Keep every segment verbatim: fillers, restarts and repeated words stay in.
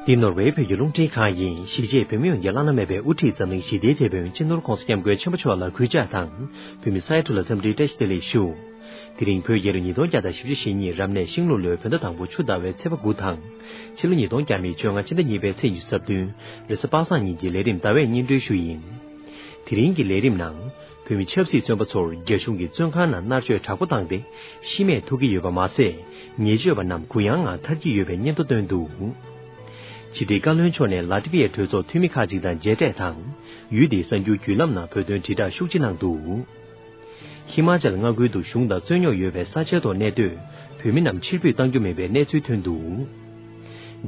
འདི་ནོར་ཝེ་བོད་ཀྱི་རླུང་འཕྲིན་ཁང་ཡིན། གཞིས་བྱེས་བོད་མི་ཡོངས་ཀྱི་བླ་ན་མེད་པའི་དབུ་ཁྲིད་འཛམ་གླིང་ཞི་བདེའི་དེད་དཔོན་སྤྱི་ནོར་༧གོང་ས་༧སྐྱབས་མགོན་ཆེན་པོ་མཆོག་ལ་གུས་ཕྱག་དང་། བོད་མི་ས་ཡ་དྲུག་ལ་འཚམས་འདྲིའི་བཀྲ་ཤིས་བདེ་ལེགས་ཞུ། དེ་རིང་བོད་རྒྱལ་ལོ་ཉིས་སྟོང་བརྒྱ་དང་བཞི་བཅུ་ཞེ་གཉིས་རབ་གནས་ཤིང་ལུག་ལོའི་བོད་ཟླ་དང་པོ་ཆུ་ཟླ་བའི་ཚེས་པ་དགུ་དང་། ཕྱི་ལོ་ཉིས་སྟོང་བརྒྱ་མེད་བཅོ་ལྔ་ཕྱི་ཟླ་གཉིས་པའི་ཚེས་ཉི་ཤུ་རྩ་བདུན། རེས་གཟའ་པ་སངས་ཉིན་གྱི་ལས་རིམ་ཟླ་བས་སྙན་སྒྲོན་ཞུ་ཡིན། དེ་རིང་གི་ལས་རིམ་ནང་། བོད་མི་ཆབ་སྲིད་བཙོན་པ་ཚོར་རྒྱ་གཞུང་གིས་བཙོན་ཁང་ནང་མནར་གཅོད་དྲག་པོ་བཏང་སྟེ་ཤི་རྨས་ཐུག་གི་ཡོད་པ་མ་ཟད། ཉེས་སྤྱོད་པ་རྣམས་གུ་ཡངས་ངང་ཐར་གྱི་ཡོད་པའི་སྙན་ཐོ་བཏོན་འདུག། ཕྱི་དྲིལ་བཀའ་བློན་མཆོག་ནས་ལ་ཏི་བི་ཡའི་གྲོས་ཚོགས་འཐུས་མི་ཁག་ཅིག་དང་མཇལ་འཕྲད་དང་། ཡུལ་དེའི་གསར་འགྱུར་བརྒྱུད་ལམ་ནང་བོད་དོན་དྲིལ་བསྒྲགས་ཤུགས་ཆེ་གནང་འདུག། ཧི་མ་ཅལ་མངའ་ཁུལ་དུ་གཞུང་དང་རྩོད་རྙོག་ཡོད་པའི་ས་ཆའི་ཐོག་གནས་སྡོད་བོད་མི་རྣམས་ཕྱིར་འབུད་གཏང་རྒྱུ་མིན་པའི་གནས་ཚུལ་ཐོན་འདུག།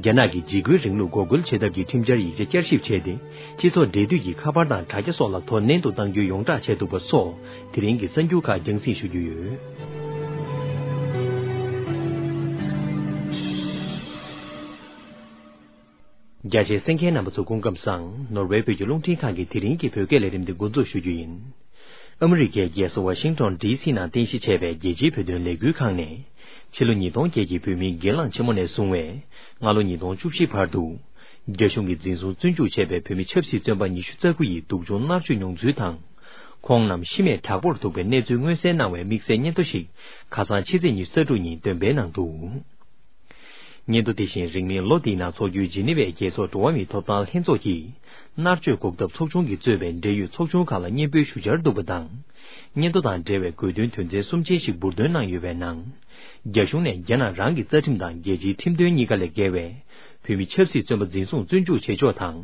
རྒྱ་ནག་གིས་འཇིགས་སྐུལ་རིང་ལུགས་འགོག་རྒོལ་བྱེད་ཐབས་ཀྱི་ཁྲིམས་འཆར་ཡིག་ཆ་བསྐྱར་ཞིབ་བྱས་ཏེ། སྤྱི་ཚོགས་འབྲེལ་མཐུད་ཀྱི་ཁ་པར་དང་དྲ་རྒྱ་སོགས་ལ་དོ་ནན་དུ་གཏང་རྒྱུའི་ཡོངས་བསྒྲགས་བྱས་འདུག་པ་སོགས་དེ་རིང་གི་གསར་འགྱུར་ཁག་རྒྱང་སྲིང་ཞུ་རྒྱུ་ཡོད། རྒྱ་ཆེའི་གསན་མཁན་རྣམ་པ་ཚོ་སྐུ་ཁམས་བཟང་། ནོར་ཝེ་བོད་ཀྱི་རླུང་འཕྲིན་ཁང་གི་དེ་རིང་གི་བོད་སྐད་ལས་རིམ་འདི་འགོ་འཛུགས་ཞུ་རྒྱུ་ཡིན། ཨ་མི་རི་ཀའི་རྒྱལ་ས་ཝ་ཤིང་ཏོན་ཌི་སི་ནང་རྟེན་གཞི་བྱས་པའི་རྒྱལ་སྤྱིའི་བོད་དོན་ལས་འགུལ་ཁང་ནས། ཕྱི་ལོ་ཉིས་སྟོང་བརྒྱད་ཀྱི་བོད་མིའི་སྒེར་ལངས་ཆེན་མོ་ནས་བཟུང་བའི་སྔ་ལོ་ཉིས་སྟོང་བཅུ་བཞི་བར་དུ། རྒྱ་གཞུང་གིས་འཛིན་བཟུང་བཙོན་འཇུག་བྱས་པའི་བོད་མི་ཆབ་སྲིད་བཙོན་པ་ཉི་ཤུ་རྩ་དགུ་ཡི་སྡུག་སྦྱོང་མནར་གཅོད་མྱོང་ཚུལ་དང་། ཁོང་རྣམས་ཤི་རྨས་དྲག་པོར་ཐུག་པའི་གནས་ཚུལ་མངོན་གསལ་གནང་བའི་དམིགས་བསལ་སྙན་ཐོ་ཞིག་ཁ་སང་ཕྱི་ཚེས་ཉི་ཤུ་རྩ་དྲུག་ཉིན་འདོན་སྤེལ་གནང་འདུག། སྙན་ཐོ་དེ་བཞིན་རིང་མིན་ལོ་འདིའི་ནང་འཚོགས་རྒྱུའི་ཇི་ནི་ཝའི་རྒྱལ་ཚོགས་འགྲོ་བ་མིའི་ཐོབ་ཐང་ལྷན་ཚོགས་ཀྱིས་མནར་གཅོད་འགོག་ཐབས་ཚོགས་ཆུང་གིས་གཙོས་པའི་འབྲེལ་ཡོད་ཚོགས་ཆུང་ཁག་ལ་སྙན་འབུལ་ཞུ་འཆར་འདུག་པ་དང་། སྙན་ཐོ་དང་འབྲེལ་བའི་དགོས་འདུན་དོན་ཚན་གསུམ་ཅན་ཞིག་འབུར་འདོན་གནང་ཡོད་པའི་ནང་། རྒྱ་གཞུང་ནས་རྒྱ་ནག་རང་གི་རྩ་ཁྲིམས་དང་རྒྱལ་སྤྱིའི་ཁྲིམས་དོན་གཉིས་ཀ་ལས་འགལ་བའི་བོད་མི་ཆབ་སྲིད་བཙོན་པ་འཛིན་བཟུང་བཙོན་འཇུག་བྱེད་ཕྱོགས་དང་།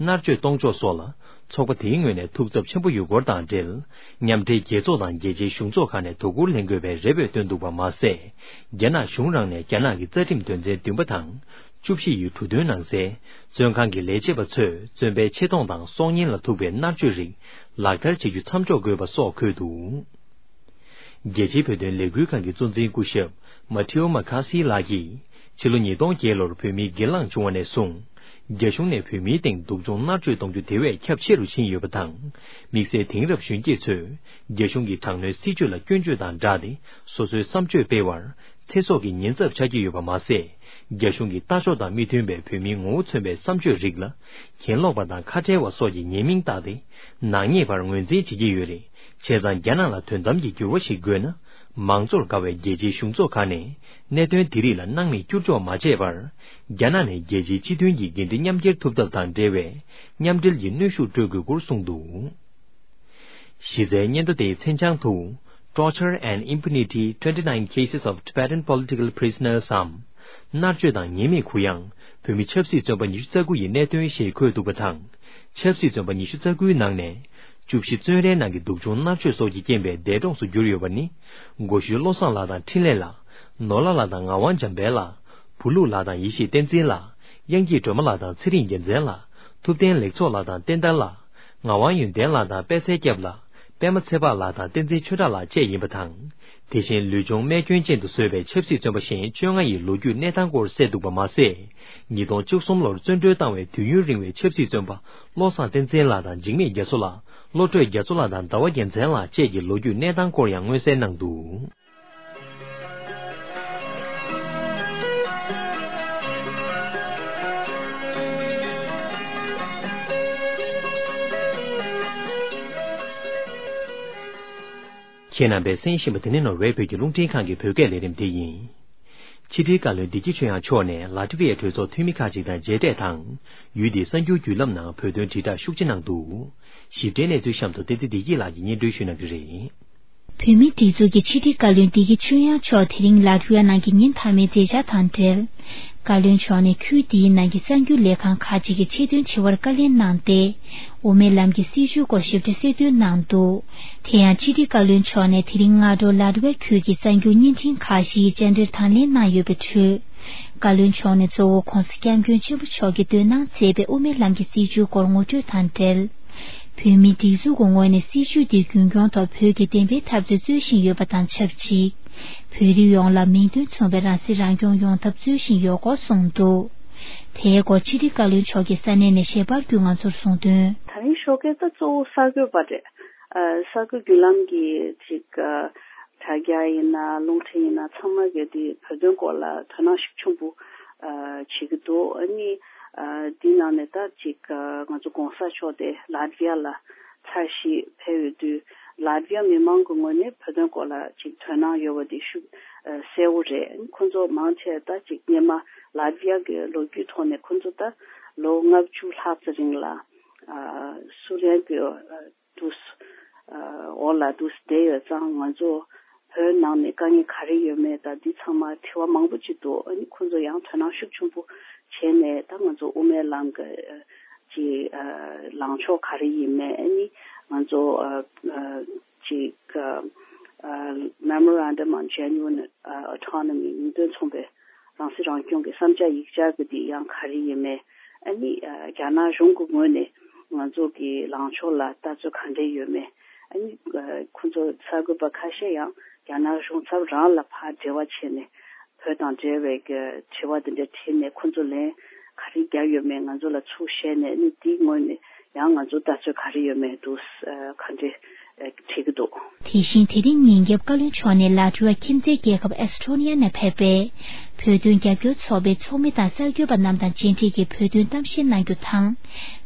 མནར་གཅོད་གཏོང་ཕྱོགས་སོགས་ལ་ཚོགས་པ་དེའི་ངོས་ནས་ཐུགས་འཚབ་ཆེན་པོ་ཡོད་སྐོར་དང་འབྲེལ། མཉམ་འབྲེལ་རྒྱལ་ཚོགས་དང་རྒྱལ་སྤྱིའི་གཞུང་ཚོགས་ཁག་ནས་དོ་ཁུར་ལེན་དགོས་པའི་རེ་འབོད་བཏོན་འདུག་པ་མ་ཟད། རྒྱ་ནག་གཞུང་རང་ནས་རྒྱ་ནག་གི་རྩ་ཁྲིམས་དོན་ཚན་བདུན་པ་དང་། བཅུ་བཞི་ཡི་འབྲུ་དོན་ནང་གསལ། བཙོན་ཁང་གི་ལས་བྱེད་པ་ཚོས་བཙོན་པའི་ཆེ་མཐོང་དང་སྲོག་ཉེན་ལ་ཐུག་པའི་མནར་གཅོད་རིགས་ལག་བསྟར་བྱེད་རྒྱུ་མཚམས་འཇོག་དགོས་པ་སོགས་འཁོད་འདུག། རྒྱལ་སྤྱིའི་བོད་དོན་ལས་འགུལ་ཁང་གི་གཙོ་འཛིན་སྐུ་ཞབས་མ་ཐེའོ་མ་ཁ་སི་ལགས་ཀྱིས། ཕྱི་ལོ་ཉིས་སྟོང་བརྒྱད་ལོར་བོད་མིའི་སྒེར་ལངས་བྱུང་བ་ནས་བཟུང་། རྒྱ་གཞུང་ནས་བོད་མིའི་སྟེང་སྡུག་སྦྱོང་མནར་གཅོད་གཏོང་རྒྱུ་དེ་བས་ཁྱབ་ཆེ་རུ་ཕྱིན་ཡོད་པ་དང་། དམིགས་བསལ་དེང་རབས་གཞོན་སྐྱེས་ཚོས་རྒྱ་གཞུང་གི་དྲག་གནོན་སྲིད་བྱུས་ལ་སྐྱོན་བརྗོད་དང་སྦྲགས་ཏེ། སོ་སོའི་བསམ་སྤྱོད་སྤེལ་བར་ཚེ་སྲོག་གི་ཉེན་ཚབས་ཆགས་ཀྱི་ཡོད་པ་མ་ཟད། རྒྱ་གཞུང་གི་ལྟ་ཕྱོགས་དང་མི་མཐུན་པའི་བོད་མིའི་ངོ་བོ་མཚོན་པའི་བསམ་སྤྱོད་རིགས་ལ། གྱེན་ལོག་པ་དང་ཁ་བྲལ་བ་སོགས་ཀྱི་ཉེས་མིང་བཏགས་ཏེ། ནག་ཉེས་པར་ངོས་འཛིན་བྱེད་ཀྱི་ཡོད་རེད། བྱས་ཙང་། རྒྱ་ནག་ལ་དོན་དམ་གྱི་འགྱུར་བ་ཞིག་དགོས་ན། མང་གཙོར་དགའ་བའི་རྒྱལ་སྤྱིའི་གཞུང་ཚོགས་ཁག་ནས། གནད་དོན་དེ་རིགས་ལ་སྣང་མེད་བསྐྱུར་འཇོག་མ་བྱས་པར། རྒྱ་ནག་ནས་རྒྱལ་སྤྱིའི་སྤྱི་མཐུན་གྱི་འགན་འཁྲི་མཉམ་འཁྱེར་ཐུབ་ཐབས་དང་འབྲེལ་བའི། མཉམ་འབྲེལ་གྱི་གནོན་ཤུགས་སྤྲོད་དགོས་སྐོར་གསུངས་འདུག། གཞི་རྩའི་སྙན་ཐོ་དེའི་མཚན་བྱང་དུ། Torture and Impunity, twenty-nine cases of Tibetan political prisoners འམ། མནར་གཅོད་དང་ཉེས་མེད་གུ་ཡངས། བོད་མི་ཆབ་སྲིད་བཙོན་པ་ཉི་ཤུ་རྩ་དགུ་ཡི་གནད་དོན་ཞེས་འཁོད་འདུག་པ་དང་། ཆབ་སྲིད་བཙོན་པ་ཉི་ཤུ་རྩ་དགུའི་ནང་ནས། བཅུ་བཞི་བཙོན་རའི་ནང་གི་སྡུག་སྦྱོང་མནར་གཅོད་སོགས་ཀྱི་རྐྱེན་པས་འདས་གྲོངས་སུ་གྱུར་ཡོད་པ་ནི། སྒོ་ཤུལ་བློ་བཟང་ལགས་དང་འཕྲིན་ལས་ལགས། ནོར་ལྷ་ལགས་དང་ངག་དབང་འཇམ་དཔལ་ལགས། བུ་ལུག་ལགས་དང་ཡེ་ཤེས་བསྟན་འཛིན་ལགས། དབྱངས་སྐྱིད་སྒྲོལ་མ་ལགས་དང་ཚེ་རིང་རྒྱལ་མཚན་ལགས། ཐུབ་བསྟན་ལེགས་ཚོགས་ལགས་དང་བསྟན་དར་ལགས། ངག་དབང་ཡོན་ཏན་ལགས་དང་པད་ཚལ་སྐྱབས་ལགས། པད་མ་ཚེ་དཔག་ལགས་དང་བསྟན་འཛིན་ཆོས་གྲགས་ལགས་བཅས་ཡིན་པ་དང་། དེ་བཞིན་ལུས་སྦྱོང་རྨས་སྐྱོན་ཅན་དུ་བཟོས་པའི་ཆབ་སྲིད་བཙོན་པ་གཞན་བཅོ་ལྔ་ཡི་ལོ་རྒྱུས་གནས་སྟངས་སྐོར་གསལ་འདུག་པ་མ་ཟད། ཉིས་སྟོང་བཅུ་གསུམ་ལོར་བཙོན་གྲོལ་བཏང་བའི་དུས་ཡུན་རིང་བའི་ཆབ་སྲིད་བཙོན་པ་བློ་བཟང་བསྟན་འཛིན་ལགས་དང་འཇིགས་མེད་རྒྱ་མཚོ་ལགས། བློ་གྲོས་རྒྱ་མཚོ་ལགས་དང་ཟླ་བ་རྒྱལ་མཚན་ལགས་བཅས་ཀྱི་ལོ་རྒྱུས་གནས་སྟངས་སྐོར་ཡང་མངོན་གསལ་གནང་འདུག། ཁྱེད་རྣམ་པས་གསན་བཞིན་པ་དེ་ནི་ནོར་ཝེ་བོད་ཀྱི་རླུང་འཕྲིན་ཁང་གི་བོད་སྐད་ལས་རིམ་དེ་ཡིན། ཕྱི་དྲིལ་བཀའ་བློན་བདེ་སྐྱིད་ཆོས་དབྱངས་མཆོག་ནས་ལ་ཏི་བི་ཡའི་གྲོས་ཚོགས་འཐུས་མི་ཁག་ཅིག་དང་མཇལ་འཕྲད་དང་། ཡུལ་དེའི་གསར་འགྱུར་བརྒྱུད་ལམ་ནང་བོད་དོན་དྲིལ་བསྒྲགས་ཤུགས་ཆེ་གནང་འདུག། ཞིབ་ཕྲའི་གནས་ཚུལ་གཤམ་དུ་བསྟན་འཛིན་བདེ་སྐྱིད་ལགས་ཀྱིས་སྙན་སྒྲོན་ཞུ་གནང་གི་རེད། བོད་མིའི་སྒྲིག་འཛུགས་ཀྱི་ཕྱི་དྲིལ་བཀའ་བློན་བདེ་སྐྱིད་ཆོས་དབྱངས་མཆོག་དེ་རིང་ལ་ཏི་ཝི་ཡ་ནང་གི་ཉིན་མཐའ་མའི་མཛད་འཆར་དང་འབྲེལ། བཀའ་བློན་མཆོག་ནས་ཁུལ་འདིའི་ནང་གི་གསར་འགྱུར་ལས་ཁང་ཁག་ཅིག་གི་ཆེད་དོན་དྲི་བར་བཀའ་ལན་གནང་སྟེ། དབུ་མའི་ལམ་གྱི་སྲིད་བྱུས་སྐོར་ཞིབ་ཕྲ་གསལ་སྟོན་གནང་འདུག། དེ་ཡང་ཕྱི་དྲིལ་བཀའ་བློན་མཆོག་ནས་དེ་རིང་སྔ་དྲོ་ལ་ཏི་ཝི་ཡ་ཁུལ་གྱི་གསར་འགྱུར་བརྙན་འཕྲིན་ཁག་བཞིའི་བཅར་འདྲིར་དང་ལེན་གནང་ཡོད་པའི་ཁྲོད། བཀའ་བློན་མཆོག་ནས་གཙོ་བོ་༧གོང་ས་༧སྐྱབས་མགོན་ཆེན་པོ་མཆོག་གིས་འདོན་གནང་མཛད་པའི་དབུ་མའི་ལམ་གྱི་སྲིད་བྱུས་སྐོར་ངོ་སྤྲོད་དང་འབྲེལ། བོད་མིའི་སྒྲིག་འཛུགས་ཀྱི་ངོས་ནས་སྲིད་བྱུས་འདི་རྒྱུན་འཁྱོངས་ཐོག་བོད་ཀྱི་བདེན་པའི་འཐབ་རྩོད་རྩོད་བཞིན་ཡོད་པ་དང་ཆབས་ཅིག། བོད་རིགས་ཡོངས་ལ་མིང་དོན་མཚུངས་པའི་རང་སྲིད་རང་སྐྱོང་ཡོང་ཐབས་རྩོད་བཞིན་ཡོད་སྐོར་གསུངས་འདུག། དེའི་སྐོར་ཕྱི་དྲིལ་བཀའ་བློན་མཆོག་གིས་ས་གནས་ནས་ཞལ་པར་བརྒྱུད་ང་ཚོར་གསུངས་དོན། ད་རིང་ཞོགས་ཀས་ད་གཙོ་བོ་གསར་འགོད་པ་རེད། ཨ། གསར་འགོད་བརྒྱུད་ལམ་གྱི་ཅིག་ཨ། དྲ་རྒྱ་ཡིན་ན་རླུང་འཕྲིན་ཡིན་ན་ཚང་མ་གིས་དེ་བོད་དོན་སྐོར་ལ་དོ་སྣང་ཤུགས་ཆེན་པོ་ཨ། བྱེད་ཀྱི་འདུག། ཨ་ནི་ ཨ་འདི་ནང་ནས་ད་ཅིག་ཨ་ང་ཚོ་གོང་ས་མཆོག་དེ་ལ་ཏི་བི་ཡ་ལ་ཚར་ཞིག་ཕེབས་ཡོད་དུས། ལ་ཏི་བི་ཡ་མི་མང་གི་ངོས་ནས་བོད་དོན་སྐོར་ལ་ཅིག་དོ་སྣང་ཡོད་པ་དེ་ཤུགས་ཨ་གསལ་བོ་རེད། ཁོང་ཚོ་མང་ཆེ་ད་ཅིག་སྔོན་མ་ལ་ཏི་བི་ཡ་གི་ལོ་རྒྱུས་ཐོག་ནས་ཁོང་ཚོ་ད་ལོ་ལྔ་བཅུ་ལྷག་ཙམ་རིང་ལ་ཨ་སུ་ལན་གི་ཨ་དུས་ཨ་འོག་ལ་དུས་བསྡད་ཡོད་ཙང་། ང་ཚོ་བོད་ནང་ནས་དཀའ་ངལ་ག་རེ་ཡོད་མེད་དང་འདི་ཚང་མ་དྲི་བ་མང་པོ་ཅིག་འདུག་ཨ་ནི་ཁོང་ཚོ་ཡང་དོ་སྣང་ཤུགས་ཆེན་པོ་བྱས་ནས། ད་ང་ཚོ་དབུ་མའི་ལམ་གྱི་ཨ་ཅིག་ཨ་ལངས་ཕྱོགས་ག་རེ་ཡིན་མེད། ཨ་ནི་ང་ཚོ་ཨ་ཨ་ཅིག་ཨ་ཨ་Memorandum on Genuine Autonomy, ཉིས་དོན་མཚུངས་པའི་རང་སྲིད་རང་སྐྱོང་གི་བསམ་འཆར་ཡིག་ཆ་གི་དེ་ཡང་ག་རེ་ཡིན་མེད། ཨ་ནི་ཨ་རྒྱ་ནག་གཞུང་གི་ངོས་ནས་ང་ཚོ་གི་ལངས་ཕྱོགས་ལ་ལྟ་ཚུལ་ག་འདྲས་ཡོད་མེད། ཨ་ནི་ཨ་ཁོང་ཚོ་གསར་འགོད་པ་ཁ་ཤས་ཡང་རྒྱ་ནག་གཞུང་ཚབ་རང་ལ་ཕར་འབྲེལ་བ་བྱས་ནས། བོད་དང་འབྲེལ་བའི་གི་དྲི་བ་དེ་འདྲ་དྲིས་ནས་ཁོང་ཚོ་ལན་ག་རེ་བརྒྱབ་ཡོད་མེད་ང་ཚོ་ལ་ཚུར་བཤད་ནས། ཨ་ནི་དེའི་ངོས་ནས་ཡང་ང་ཚོ་ལྟ་ཚུལ་ག་རེ་ཡོད་མེད་དུ་ཨ་ག་འདྲས་ཨ་དྲི་གི་འདུག་དེ་བཞིན་དེ་རིང་ཉིན་རྒྱབ་བཀའ་བློན་མཆོག་ནས་ལ་ཏི་ཝ་ཁྱིམ་མཚེས་རྒྱལ་ཁབ་ཨེ་སི་ཊོ་ནི་ཡ་ནས་ཕེབས་པའི་བོད་དོན་རྒྱབ་སྐྱོར་ཚོགས་པའི་ཚོགས་མི་དང་གསར་འགོད་པ་རྣམས་དང་མཇལ་འཕྲད་ཀྱིས་བོད་དོན་གཏམ་བཤད་གནང་རྒྱུ་དང་།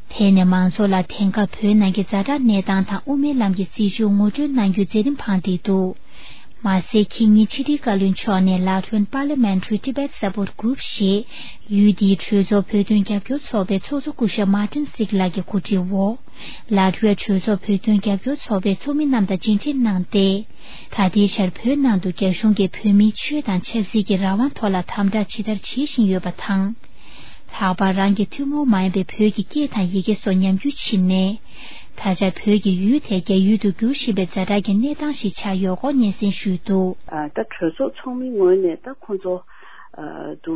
དེ་ནས་མང་ཚོགས་ལ་དེང་སྐབས་བོད་ནང་གི་ཛ་དྲག་གནས་སྟངས་དང་དབུ་མའི་ལམ་གྱི་སྲིད་བྱུས་ངོ་སྤྲོད་གནང་རྒྱུའི་མཛད་རིམ་འཕངས་ཏེ་འདུག་མ་ཟད་ཁེ་ཉིན་ཕྱི་དྲིལ་བཀའ་བློན་མཆོག་ནས་ལ་ཏི་ཝན་Parliamentary Tibet Support Group ཞེས་ཡུལ་དེའི་གྲོས་ཚོགས་བོད་དོན་རྒྱབ་སྐྱོར་ཚོགས་པའི་ཚོགས་གཙོ་སྐུ་ཞབས་Martin Siglak གི་གོ་སྒྲིག་འོག་ལ་ཏི་ཝའི་གྲོས་ཚོགས་བོད་དོན་རྒྱབ་སྐྱོར་ཚོགས་པའི་ཚོགས་མི་རྣམས་དང་མཇལ་འཕྲད་གནང་སྟེ། ད་ལྟའི་ཆར་བོད་ནང་དུ་རྒྱ་གཞུང་གིས་བོད་མིའི་ཆོས་དང་ཆབ་སྲིད་ཀྱི་རང་དབང་ཐོག་ལ་དམ་དྲག་ཇི་ལྟར་བྱེད་བཞིན་ཡོད་པ་དང་། ལྷག་པར་རང་གི་ཐུན་མོང་མ་ཡིན་པའི་བོད་ཀྱི་སྐད་དང་ཡི་གེ་སོགས་ཉམས་འགྱུར་ཕྱིན་ནས། ད་ཆ་བོད་ཀྱི་ཡུལ་དེ་རྒྱ་ཡུལ་དུ་འགྱུར་བཞིན་པའི་ཛ་དྲག་གི་གནས་སྟངས་ཤིག་ཆགས་ཡོད་སྐོར་སྙན་སེང་ཞུས་འདུག་ཨ་ད་གྲོས་ཚོགས་ཚོགས་མི་ངོས་ནས་ད་ཁོང་ཚོ་ཨ་དུ་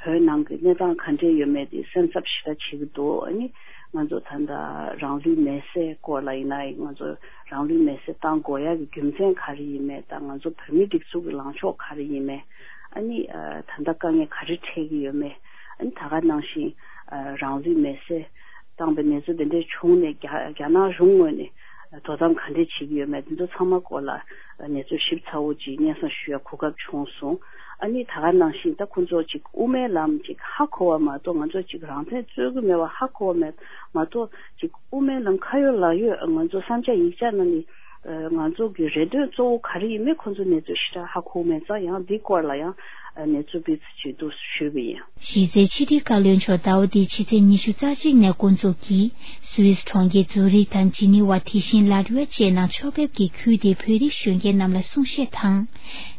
བོད་ནང་གི་གནས་སྟངས་ག་འདྲས་ཡོད་མེད་དེ་སེམས་འཚབ་ཞེ་དྲག་བྱེད་ཀྱི་འདུག་ཨ་ནི་ང་ཚོ་ད་ལྟ་རང་ལུས་མེར་སྲེག་སྐོར་ལ་ཡིན་ན། ང་ཚོ་རང་ལུས་མེར་སྲེག་བཏང་དགོས་ཡག་གི་རྒྱུ་མཚན་ག་རེ་ཡིན་མེད་དང་། ང་ཚོ་བོད་མིའི་སྒྲིག་འཛུགས་ཀྱི་ལངས་ཕྱོགས་ག་རེ་ཡིན་མེད། ཨ་ནི་ཨ་ད་ལྟ་དཀའ་ངལ་ག་རེ་འཕྲད་ཀྱི་ཡོད་མེད། ཨ་ནི་ད་ག་ནང་བཞིན་ཨ་རང་ལུས་མེར་སྲེག་བཏང་པའི་གནས་ཚུལ་དེ་འདྲས་བྱུང་ནས་རྒྱ་རྒྱ་ནག་གཞུང་ངོས་ནས་དོ་དམ་ག་འདྲས་བྱེད་ཀྱི་ཡོད་མེད། དེ་ཚོ་ཚང་མ་སྐོར་ལ་གནས་ཚུལ་ཞིབ་ཚགས་པོ་ཅིག་སྙན་སེང་ཞུ་ཡ་གོ་སྐབས་བྱུང་སོང་། ཨ་ནི་ད་ག་ནང་བཞིན་ད་ཁོང་ཚོ་ཅིག་དབུ་མའི་ལམ་ཅིག་ཧ་གོ་བ་མ་གཏོགས། ང་ཚོ་ཅིག་རང་བཙན་རྩོད་ཀྱི་མེད་པ་ཧ་གོ་བ་མ་མ་གཏོགས། ཅིག་དབུ་མའི་ལམ་ཁ་ཡོད་ལག་ཡོད་ང་ཚོ་བསམ་འཆར་ཡིག་ཆ་ནང་ནས་ང་ཚོ་གི་རེ་འདུན་གཙོ་བོ་ག་རེ་ཡིན་མེད་ཁོང་ཚོ་གནས་ཚུལ་ཞེ་དྲག་ཧ་གོ་མེད་ཙང་། ཡང་འདི་སྐོར་ལ་ཡང་གནས་ཚུལ་སྤེལ་ཚུལ་བྱེད་འདུག་ཞུས་པ་ཡིན། གཞི་རྩའི་ཕྱི་དྲིལ་བཀའ་བློན་མཆོག་ཟླ་བ་འདིའི་ཕྱི་ཚེས་ཉི་ཤུ་རྩ་གཅིག་ནས་འགོ་འཛུགས་ཀྱིས་སུད་སི་གྲོང་ཁྱེར་ཛུ་རིག་དང་ཇི་ནི་ཝ། དེ་བཞིན་ལ་ཏི་ཝ་བཅས་ནང་ཕྱོགས་ཕེབས་ཀྱིས་ཁུལ་དེའི་བོད་རིགས་གཞོན་སྐྱེས་རྣམས་ལ་གསུང་བཤད་དང་།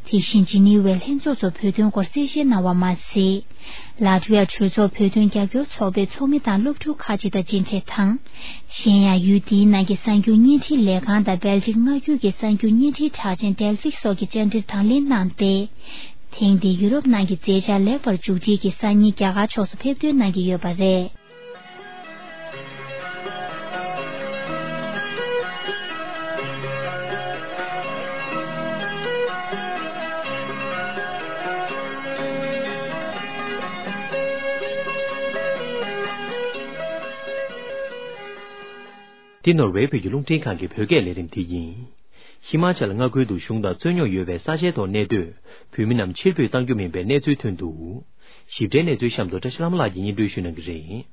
དེ་བཞིན་ཇི་ནི་ཝའི་ལྷན་ཚོགས་སུ་བོད་དོན་སྐོར་གསལ་བཤད་གནང་བ་མ་ཟད། ལ་ཏི་ཝའི་གྲོས་ཚོགས་བོད་དོན་རྒྱབ་སྐྱོར་ཚོགས་པའི་ཚོགས་མི་དང་སློབ་ཕྲུག་ཁག་ཅིག་དང་མཇལ་འཕྲད་དང་། གཞན་ཡང་ཡུལ་དེའི་ནང་གི་གསར་འགྱུར་བརྙན་འཕྲིན་ལས་ཁང་དང་སྦལ་ཏིག་མངའ་ཁུལ་གྱི་གསར་འགྱུར་བརྙན་འཕྲིན་གྲགས་ཅན་ཌེལ་ཕིག་སོགས་ཀྱི་བཅར་འདྲིར་དང་ལེན་གནང་སྟེ། ཐེངས་འདིའི་ཡུ་རོབ་ནང་གི་མཛད་འཆར་ལེགས་པར་མཇུག་སྒྲིལ་གྱིས་སང་ཉིན་རྒྱ་གར་ཕྱོགས་སུ་ཕེབས་ཐོན་གནང་གི་ཡོད་པ་རེད། འདི་ནོར་ཝེ་བོད་ཀྱི་རླུང་འཕྲིན་ཁང་གི་བོད་སྐད་ལས་རིམ་དེ་ཡིན། ཧི་མ་ཅལ་མངའ་ཁུལ་དུ་གཞུང་དང་རྩོད་རྙོག་ཡོད་པའི་ས་ཆའི་ཐོག་གནས་སྡོད་བོད་མི་རྣམས་ཕྱིར་འབུད་གཏང་རྒྱུ་མིན་པའི་གནས་ཚུལ་ཐོན་འདུག་ཞིབ་ཕྲའི་གནས་ཚུལ་གཤམ་དུ་བཀྲ་ཤིས་ལྷ་མོ་ལགས་ཀྱིས་སྙན་སྒྲོན་ཞུ་གནང་གི་རེད།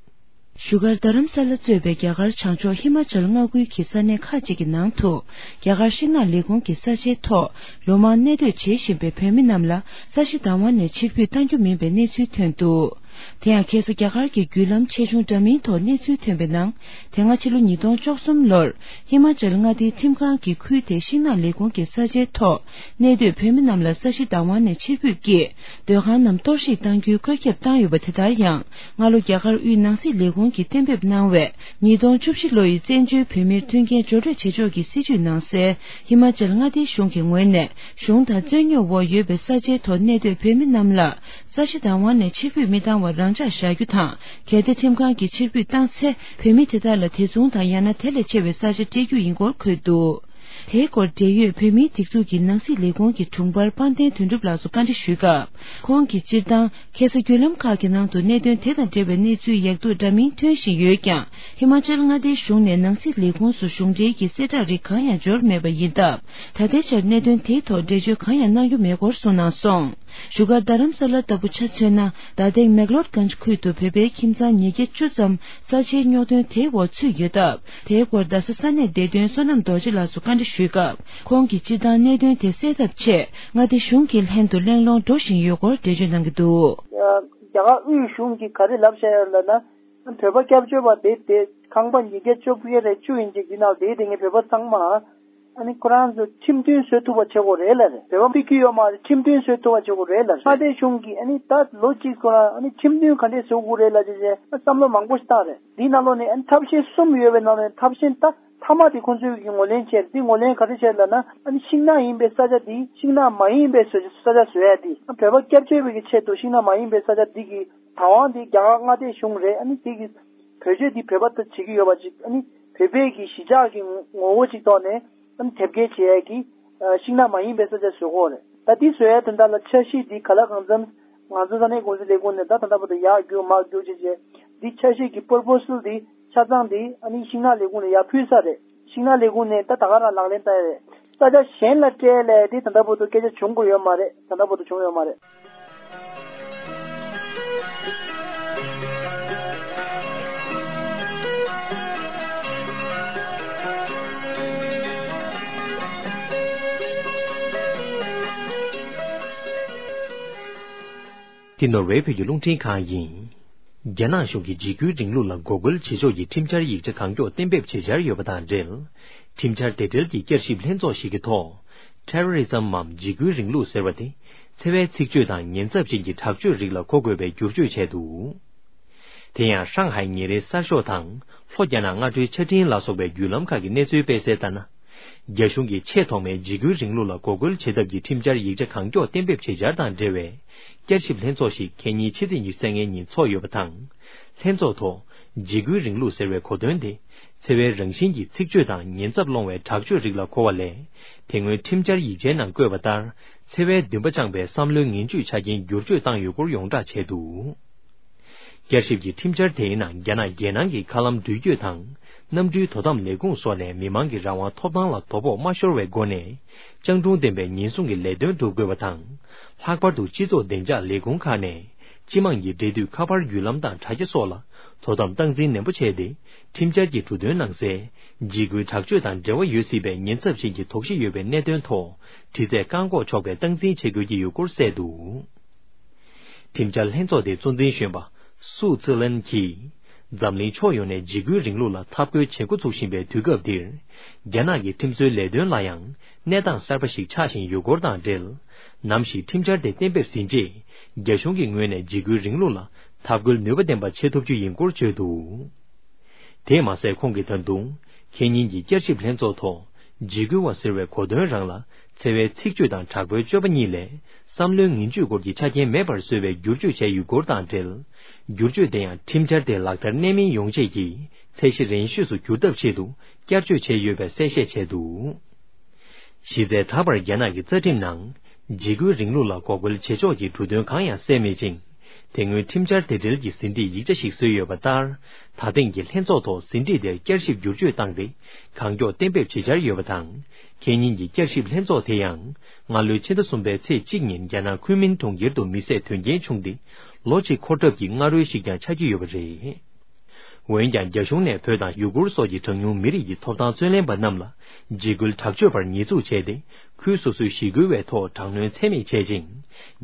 བཞུགས་སྒར་རྡ་རམ་ས་ལ་གཙོས་པའི་རྒྱ་གར་བྱང་ཕྱོགས་ཧི་མ་ཅལ་མངའ་ཁུལ་གྱི་ས་གནས་ཁག་ཅིག་གི་ནང་དུ། རྒྱ་གར་ཤིང་ནགས་ལས་ཁུངས་ཀྱི་ས་ཆའི་ཐོག་ལོ་མང་གནས་སྡོད་བྱེད་བཞིན་པའི་བོད་མི་རྣམས་ལ་ས་གཞི་བདག་དབང་ནས་ཕྱིར་འབུད་གཏང་རྒྱུ་མིན་པའི་གནས་ཚུལ་ཐོན་འདུག་དེ་ཡང་ཁ་སང་རྒྱ་གར་གྱི་བརྒྱུད་ལམ་ཆེ་ཆུང་འདྲ་མིན་ཐོག་གནས་ཚུལ་ཐོན་པའི་ནང་། དེ་སྔ་ཕྱི་ལོ་ཉིས་སྟོང་བཅུ་གསུམ་ལོར་ཧི་མ་ཅལ་མངའ་སྡེའི་ཁྲིམས་ཁང་གིས་ཁུལ་དེའི་ཤིང་ནགས་ལས་ཁུངས་ཀྱི་ས་ཆའི་ཐོག་གནས་སྡོད་བོད་མི་རྣམས་ལ་ས་གཞི་བདག་དབང་ནས་ཕྱིར་འབུད་ཀྱིས་སྡོད་ཁང་རྣམས་གཏོར་བཤིག་གཏང་རྒྱུའི་བཀོད་ཁྱབ་བཏང་ཡོད་པ། དེ་ལྟར་ཡང་སྔ་ལོ་རྒྱ་གར་དབུས་ནང་སྲིད་ལས་ཁུངས་ཀྱིས་གཏན་འབེབས་གནང་བའི་ཉིས་སྟོང་བཅུ་བཞི་ལོ་ཡི་བཙན་བྱོལ་བོད་མིར་མཐུན་རྐྱེན་སྦྱོར་སྤྲོད་བྱེད་ཕྱོགས་ཀྱི་སྲིད་བྱུས་ནང་གསལ། ཧི་མ་ཅལ་མངའ་སྡེའི་གཞུང་གི་ངོས་ནས་གཞུང་དང་རྩོད་རྙོག་འོག་ཡོད་པའི་ས་ཆའི་ཐོག་གནས་སྡོད་བོད་མི་རྣམས་ལ། ས་གཞི་བདག་དབང་ནས་ཕྱིར་འབུད་མི་བཏང་བར་རང་འཇགས་བཞག་རྒྱུ་དང་། གལ་ཏེ་ཁྲིམས་ཁང་གིས་ཕྱིར་འབུད་བཏང་ཚེ། བོད་མི་དེ་དག་ལ་དེ་མཚུངས་དང་ཡང་ན་དེ་ལས་ཆེ་བའི་ས་ཆ་སྤྲད་རྒྱུ་ཡིན་སྐོར་འཁོད་འདུག་དེའི་སྐོར་འབྲེལ་ཡོད་བོད་མིའི་སྒྲིག་འཛུགས་ཀྱི་ནང་སྲིད་ལས་ཁུངས་ཀྱི་དྲུང་འཕར་དཔལ་ལྡན་དོན་གྲུབ་ལགས་སུ་བཀའ་འདྲི་ཞུས་སྐབས། ཁོང་གིས་སྤྱིར་བཏང་ཁ་ས་བརྒྱུད་ལམ་ཁག་གི་ནང་དུ་གནད་དོན་དེ་དང་འབྲེལ་བའི་གནས་ཚུལ་ཡག་སྡུག་འདྲ་མིན་ཐོན་བཞིན་ཡོད་ཀྱང་། ཧི་མ་ཅལ་མངའ་སྡེའི་གཞུང་ནས་ནང་སྲིད་ལས་ཁུངས་སུ་གཞུང་འབྲེལ་གྱི་གསལ་བསྒྲགས་རིགས་གང་ཡང་འབྱོར་མེད་པ་ཡིན་སྟབས། ད་ལྟའི་ཆར་གནད་དོན་དེའི་ཐོག་འགྲེལ་བརྗོད་གང་ཡང་གནང་རྒྱུ་མེད་སྐོར་གསུངས་གནང་སོང་། བཞུགས་སྒར་རྡ་རམ་ས་ལ་ལྟ་བུ་ཆ་མཚོན་ན། རྡ་སྟེང་མེག་ལོར་གྷན་ཇི་ཁུལ་དུ་བོད་པའི་ཁྱིམ་ཚང་ཉིས་བརྒྱ་བཅུ་ཙམ་ས་ཆའི་རྙོག་དོན་དེའི་འོག་ཚུད་ཡོད་སྟབས། དེའི་སྐོར་རྡ་ས་ས་གནས་བདེ་དོན་བསོད་ནམས་རྡོ་རྗེ་ལགས་སུ་བཀའ་འདྲི་ཞུས་སྐབས། ཁོང་གིས་སྤྱིར་བཏང་གནད་དོན་དེ་སེལ་ཐབས་ཆེད་མངའ་སྡེ་གཞུང་གི་ལྷན་དུ་གླེང་སློང་འགྲོ་བཞིན་ཡོད་སྐོར་འགྲེལ་བརྗོད་གནང་གི་འདུག། རྒྱ་གར་དབུས་གཞུང་གིས་ག་རེ་ལབ་བཞག་ཡོད་ལབ་ན། བོད་པ་སྐྱབས་བཅོལ་བ་དེ་དེ་ཁང་པ་ཉིས་བརྒྱ་བཅོ་བརྒྱད་རེ་བཅུ་ཡིན་ཅིག་འདི་ནང་དེའི་དེ་ངས་བོད་པ་ཚང་མ། ཨ་ནི་ཁོ་རང་ཚོ་ཁྲིམས་མཐུན་བཟོ་ཐུབ་པ་བྱེད་དགོས་རེད་ལབ་རེད། བོད་པ་ཕི་གི་ཡོད་མ་རེད། ཁྲིམས་མཐུན་བཟོ་ཐུབ་པ་བྱེད་དགོས་རེད་ལབ་རེད། མངའ་སྡེ་གཞུང་གིས་ཨ་ནི་ད་ལོ་གཅིག་ཁོ་རང་ཨ་ནི་ཁྲིམས་མཐུན་ག་འདྲས་བཟོ་དགོས་རེད་ལབ་བྱས་བྱས་བསམ་བློ་མང་པོ་ཞིག་བཏང་རེད། འདིའི་ནང་ལོགས་ནས་ཨ་ནི་ཐབས་ཤེས་གསུམ་ཡོད་པའི་ནང་ནས་ཐབས་ཤེས་ད་མཐའ་མ་དེ་ཁོང་ཚོས་ཀྱི་ངོས་ལེན་བྱས་རེད། འདི་ངོས་ལེན་ག་རེ་བྱས་ལབ་ན། ཨ་ནི་ཤིང་ནགས་ཡིན་པའི་ས་ཆ་འདི་ཤིང་ནགས་མ་ཡིན་པའི་ས་ཆ་བཟོ་ཡ་འདི། བོད་པ་སྐྱབས་བཅོལ་བའི་གི་ཆེད་དུ་ཤིང་ནགས་མ་ཡིན་པའི་ས་ཆ་འདི་གི་བདག་དབང་འདི་རྒྱ་གར་མངའ་སྡེ་གཞུང་རེད། ཨ་ནི་དེ་གི་བེད་སྤྱོད་འདི་བོད་པ་ད་བྱེད་ཀྱི་ཡོད་པ་ཅིག། ཨ་ནི་བོད་པའི་གི་གཞིས་ཆགས་ཀྱི་ངོ་བོ་ཅིག་ཐོག་ནས་ཨ་ནི་དེབ་སྐྱེལ་བྱེད་ཡས་ཀྱི་ཤིང་ནགས་མ་ཡིན་པའི་ས་ཆ་བཟོ་དགོས་རེད། ད་འདི་བཟོ་ཡས་དོན་དག་ལ་འཆར་གཞི་འདི་ག་ལ་གང་འཚམ་ང་ཚོ་ས་གནས་ཀུང་སི་ལས་ཁུངས་ནས་ད་ད་ལྟ་བར་དུ་ཡར་རྒྱུག་མར་རྒྱུག་བྱས་བྱས། འདི་འཆར་གཞི་གི་པོར་པོ་སལ་འདི་ཆ་ཚང་འདི་ཨ་ནི་ཤིང་ནགས་ལས་ཁུངས་ནས་ཡར་ཕུལ་ཚར་རེད། ཤིང་ནགས་ལས་ཁུངས་ནས་ད་ད་ག་རང་ལག་ལེན་བསྟར་ཡས་རེད། ས་ཆ་གཞན་ལ་སྤྲད་ལས་དེ་ད་ལྟ་བར་དུ་སྐད་ཆ་བྱུང་དགོས་ཡོད་མ་རེད། ད་ལྟ་བར་དུ་བྱུང་ཡོད་མ་རེད། འདི་ནོར་ཝེ་བོད་ཀྱི་རླུང་འཕྲིན་ཁང་ཡིན། རྒྱ་ནག་གཞུང་གིས་འཇིགས་སྐུལ་རིང་ལུགས་ལ་འགོག་རྒོལ་བྱེད་ཕྱོགས་ཀྱི་ཁྲིམས་འཆར་ཡིག་ཆ་གང་མགྱོགས་གཏན་འབེབས་བྱེད་འཆར་ཡོད་པ་དང་འབྲེལ། ཁྲིམས་འཆར་དེ་འབྲེལ་གྱི་བསྐྱར་ཞིབ་ལྷན་ཚོགས་ཤིག་གི་ཐོག Terrorism འམ་འཇིགས་སྐུལ་རིང་ལུགས་ཟེར་བ་དེ་འཚེ་བའི་ཚིག་བརྗོད་དང་ཉེན་ཚབས་ཅན་གྱི་དྲག་སྤྱོད་རིགས་ལ་གོ་དགོས་པའི་བསྒྱུར་བཅོས་བྱས་འདུག། དེ་ཡང་ཧྲང་ཧའེ་ཉིན་རེའི་གསར་ཤོག་དང་ལྷོ་རྒྱ་ནག་སྔ་དྲོའི་ཆ་འཕྲིན་ལ་སོགས་པའི་བརྒྱུད་ལམ་ཁག་གི་གནས་ཚུལ་སྤེལ་གསལ་ལྟར་ན། རྒྱ་གཞུང་གིས་ཆེས་ཐོག་མའི་འཇིགས་སྐུལ་རིང་ལུགས་ལ་འགོག་རྒོལ་བྱེད་ཐབས་ཀྱི་ཁྲིམས་འཆར་ཡིག་ཆ་གང་མགྱོགས་གཏན་འབེབས་བྱེད་འཆར་དང་འབྲེལ་བའི་བསྐྱར་ཞིབ་ལྷན་ཚོགས་ཤིག་ཁེ་ཉིན་ཕྱི་ཚེས་ཉི་ཤུ་རྩ་ལྔའི་ཉིན་ཚོགས་ཡོད་པ་དང་། ལྷན་ཚོགས་ཐོག་འཇིགས་སྐུལ་རིང་ལུགས་ཟེར་བའི་གོ་དོན་དེ་འཚེ་བའི་རང་བཞིན་གྱི་ཚིག་བརྗོད་དང་ཉེན་ཚབས་སློང་བའི་དྲག་སྤྱོད་རིགས་ལ་གོ་བ་ལས། དེ་སྔོན་ཁྲིམས་འཆར་ཡིག་ཆའི་ནང་བཀོད་པ་ལྟར་འཚེ་བའི་འདུན་པ་བཅངས་པའི་བསམ་བློའི་ངན་ཇུས་ཆ་རྐྱེན་བསྒྱུར་བཅོས་བཏང་ཡོད་སྐོར་ཡོངས་བསྒྲགས་བྱས་འདུག། བསྐྱར་ཞིབ་ཀྱི་ཁྲིམས་འཆར་དེའི་ནང་རྒྱ་ནག་རྒྱལ་ནང་གི་མཁའ་ལམ་འགྲུལ་སྐྱོད་དང་གནམ་གྲུའི་དོ་དམ་ལས་ཁུངས་སོགས་ནས་མི་མང་གི་རང་དབང་ཐོབ་ཐང་ལ་དོ་ཕོག་མ་ཤོར་བའི་སྒོ་ནས་སྤྱང་གྲུང་ལྡན་པའི་ཉེན་སྲུང་གི་ལས་དོན་སྒྲུབ་དགོས་པ་དང་། ལྷག་པར་དུ་སྤྱི་ཚོགས་བདེ་འཇགས་ལས་ཁུངས་ཁག་ནས་སྤྱི་དམངས་ཀྱི་འབྲེལ་མཐུད་ཁ་པར་བརྒྱུད་ལམ་དང་དྲ་རྒྱ་སོགས་ལ་དོ་དམ་སྟངས་འཛིན་ནན་པོ་བྱས་ཏེ་ཁྲིམས་འཆར་གྱི་འབྲུ་དོན་ནང་གསལ་འཇིགས་སྐུལ་དྲག་སྤྱོད་དང་འབྲེལ་བ་ཡོད་སྲིད་པའི་ཉེན་ཚབས་ཅན་གྱི་དོགས་གཞི་ཡོད་པའི་གནད་དོན་ཐོག་དྲི་རྩད་བཀག་འགོག་ཆོག་པའི་སྟངས་འཛིན་བྱེད་དགོས་ཀྱི་ཡོད་སྐོར་གསལ་འདུག། ཁྲིམས་འཆར་ལྷན་ཚོགས་དེའི་གཙོ་འཛིན་གཞོན་པ་སུའུ་ཙི་ལན་གྱིས། འཛམ་གླིང་ཕྱོགས་ཡོངས་ནས་འཇིགས་སྐུལ་རིང་ལུགས་ལ་འཐབ་རྒོལ་བྱེད་འགོ་ཚུགས་བཞིན་པའི་དུས་སྐབས་འདིར། རྒྱ་ནག་གི་ཁྲིམས་བཟོའི་ལས་དོན་ལ་ཡང་གནས་སྟངས་གསར་པ་ཞིག་ཆགས་བཞིན་ཡོད་སྐོར་དང་འབྲེལ། ནམ་ཞིག་ཁྲིམས་འཆར་དེ་གཏན་འབེབས་ཟིན་རྗེས། རྒྱ་གཞུང་གི་ངོས་ནས་འཇིགས་སྐུལ་རིང་ལུགས་ལ་འཐབ་རྒོལ་ནུས་པ་ལྡན་པ་བྱེད་ཐུབ་རྒྱུ་ཡིན་སྐོར་བརྗོད་འདུག། དེས་མ་ཟད་ཁོང་གིས་ད་དུང་ཁེ་ཉིན་གྱི་བསྐྱར་ཞིབ་ལྷན་ཚོགས་ཐོག་འཇིགས་སྐུལ་བ་ཟེར་བའི་གོ་དོན་རང་ལ་འཚེ་བའི་ཚིག་བརྗོད་དང་དྲག་པོའི་སྤྱོད་པ་གཉིས་ལས་བསམ་བློའི་ངན་ཇུས་སྐོར་གྱི་ཆ་རྐྱེན་མེད་པར་བཟོས་པའི་བསྒྱུར་བཅོས་བྱས་ཡོད་སྐོར་དང་འབྲེལ། བསྒྱུར་བཅོས་དེ་ཡང་ཁྲིམས་འཆར་དེ་ལག་བསྟར་གནད་སྨིན་ཡོང་ཆེད་ཀྱི་ཚད་གཞི་རན་ཤོས་སུ་འགྱུར་ཐབས་ཆེད་དུ་བསྐྱར་བཅོས་བྱས་ཡོད་པའི་གསལ་བཤད་བྱས་འདུག། གཞི་རྩའི་ད་བར་རྒྱ་ནག་གི་རྩ་ཁྲིམས་ནང་འཇིགས་སྐུལ་རིང་ལུགས་ལ་འགོག་རྒོལ་བྱེད་ཕྱོགས་ཀྱི་འབྲུ་དོན་གང་ཡང་གསལ་མེད་ཅིང་། དེ་སྔོན་ཁྲིམས་འཆར་དེ་འབྲེལ་གྱི་ཟིན་བྲིས་ཡིག་ཆ་ཞིག་བཟོས་ཡོད་པ་ལྟར། ད་ཐེངས་ཀྱི་ལྷན་ཚོགས་ཐོག་ཟིན་བྲིས་དེར་བསྐྱར་ཞིབ་བསྒྱུར་བཅོས་བཏང་སྟེ། གང་མགྱོགས་གཏན་འབེབས་བྱེད་འཆར་ཡོད་པ་དང་། ཁེ་ཉིན་གྱི་བསྐྱར་ཞིབ་ལྷན་ཚོགས་དེ་ཡང་། སྔ་ལོའི་ཕྱི་ཟླ་གསུམ་པའི་ཚེས་གཅིག་ཉིན་རྒྱ་ནག་ཁུན་མིན་གྲོང་ཁྱེར་དུ་མི་བསད་དོན་རྐྱེན་བྱུང་སྟེ། ལོ་གཅིག་འཁོར་གྲབས་ཀྱི་སྔ་རོལ་ཞིག་ཀྱང་ཆགས་ཀྱི་ཡོད་པ་རེད། འོན་ཀྱང་། རྒྱ་གཞུང་ནས་བོད་དང་ཡུ་གུར་སོགས་ཀྱི་གྲངས་ཉུང་མི་རིགས་ཀྱི་ཐོབ་ཐང་རྩོད་ལེན་པ་རྣམས་ལ་འཇིགས་སྐུལ་དྲག་སྤྱོད་པར་ཉེས་འཛུགས་བྱས་ཏེ། ཁུལ་སོ་སོའི་ཞི་རྒོལ་བའི་ཐོག་དྲག་གནོན་ཚད་མེད་བྱས་ཤིང་།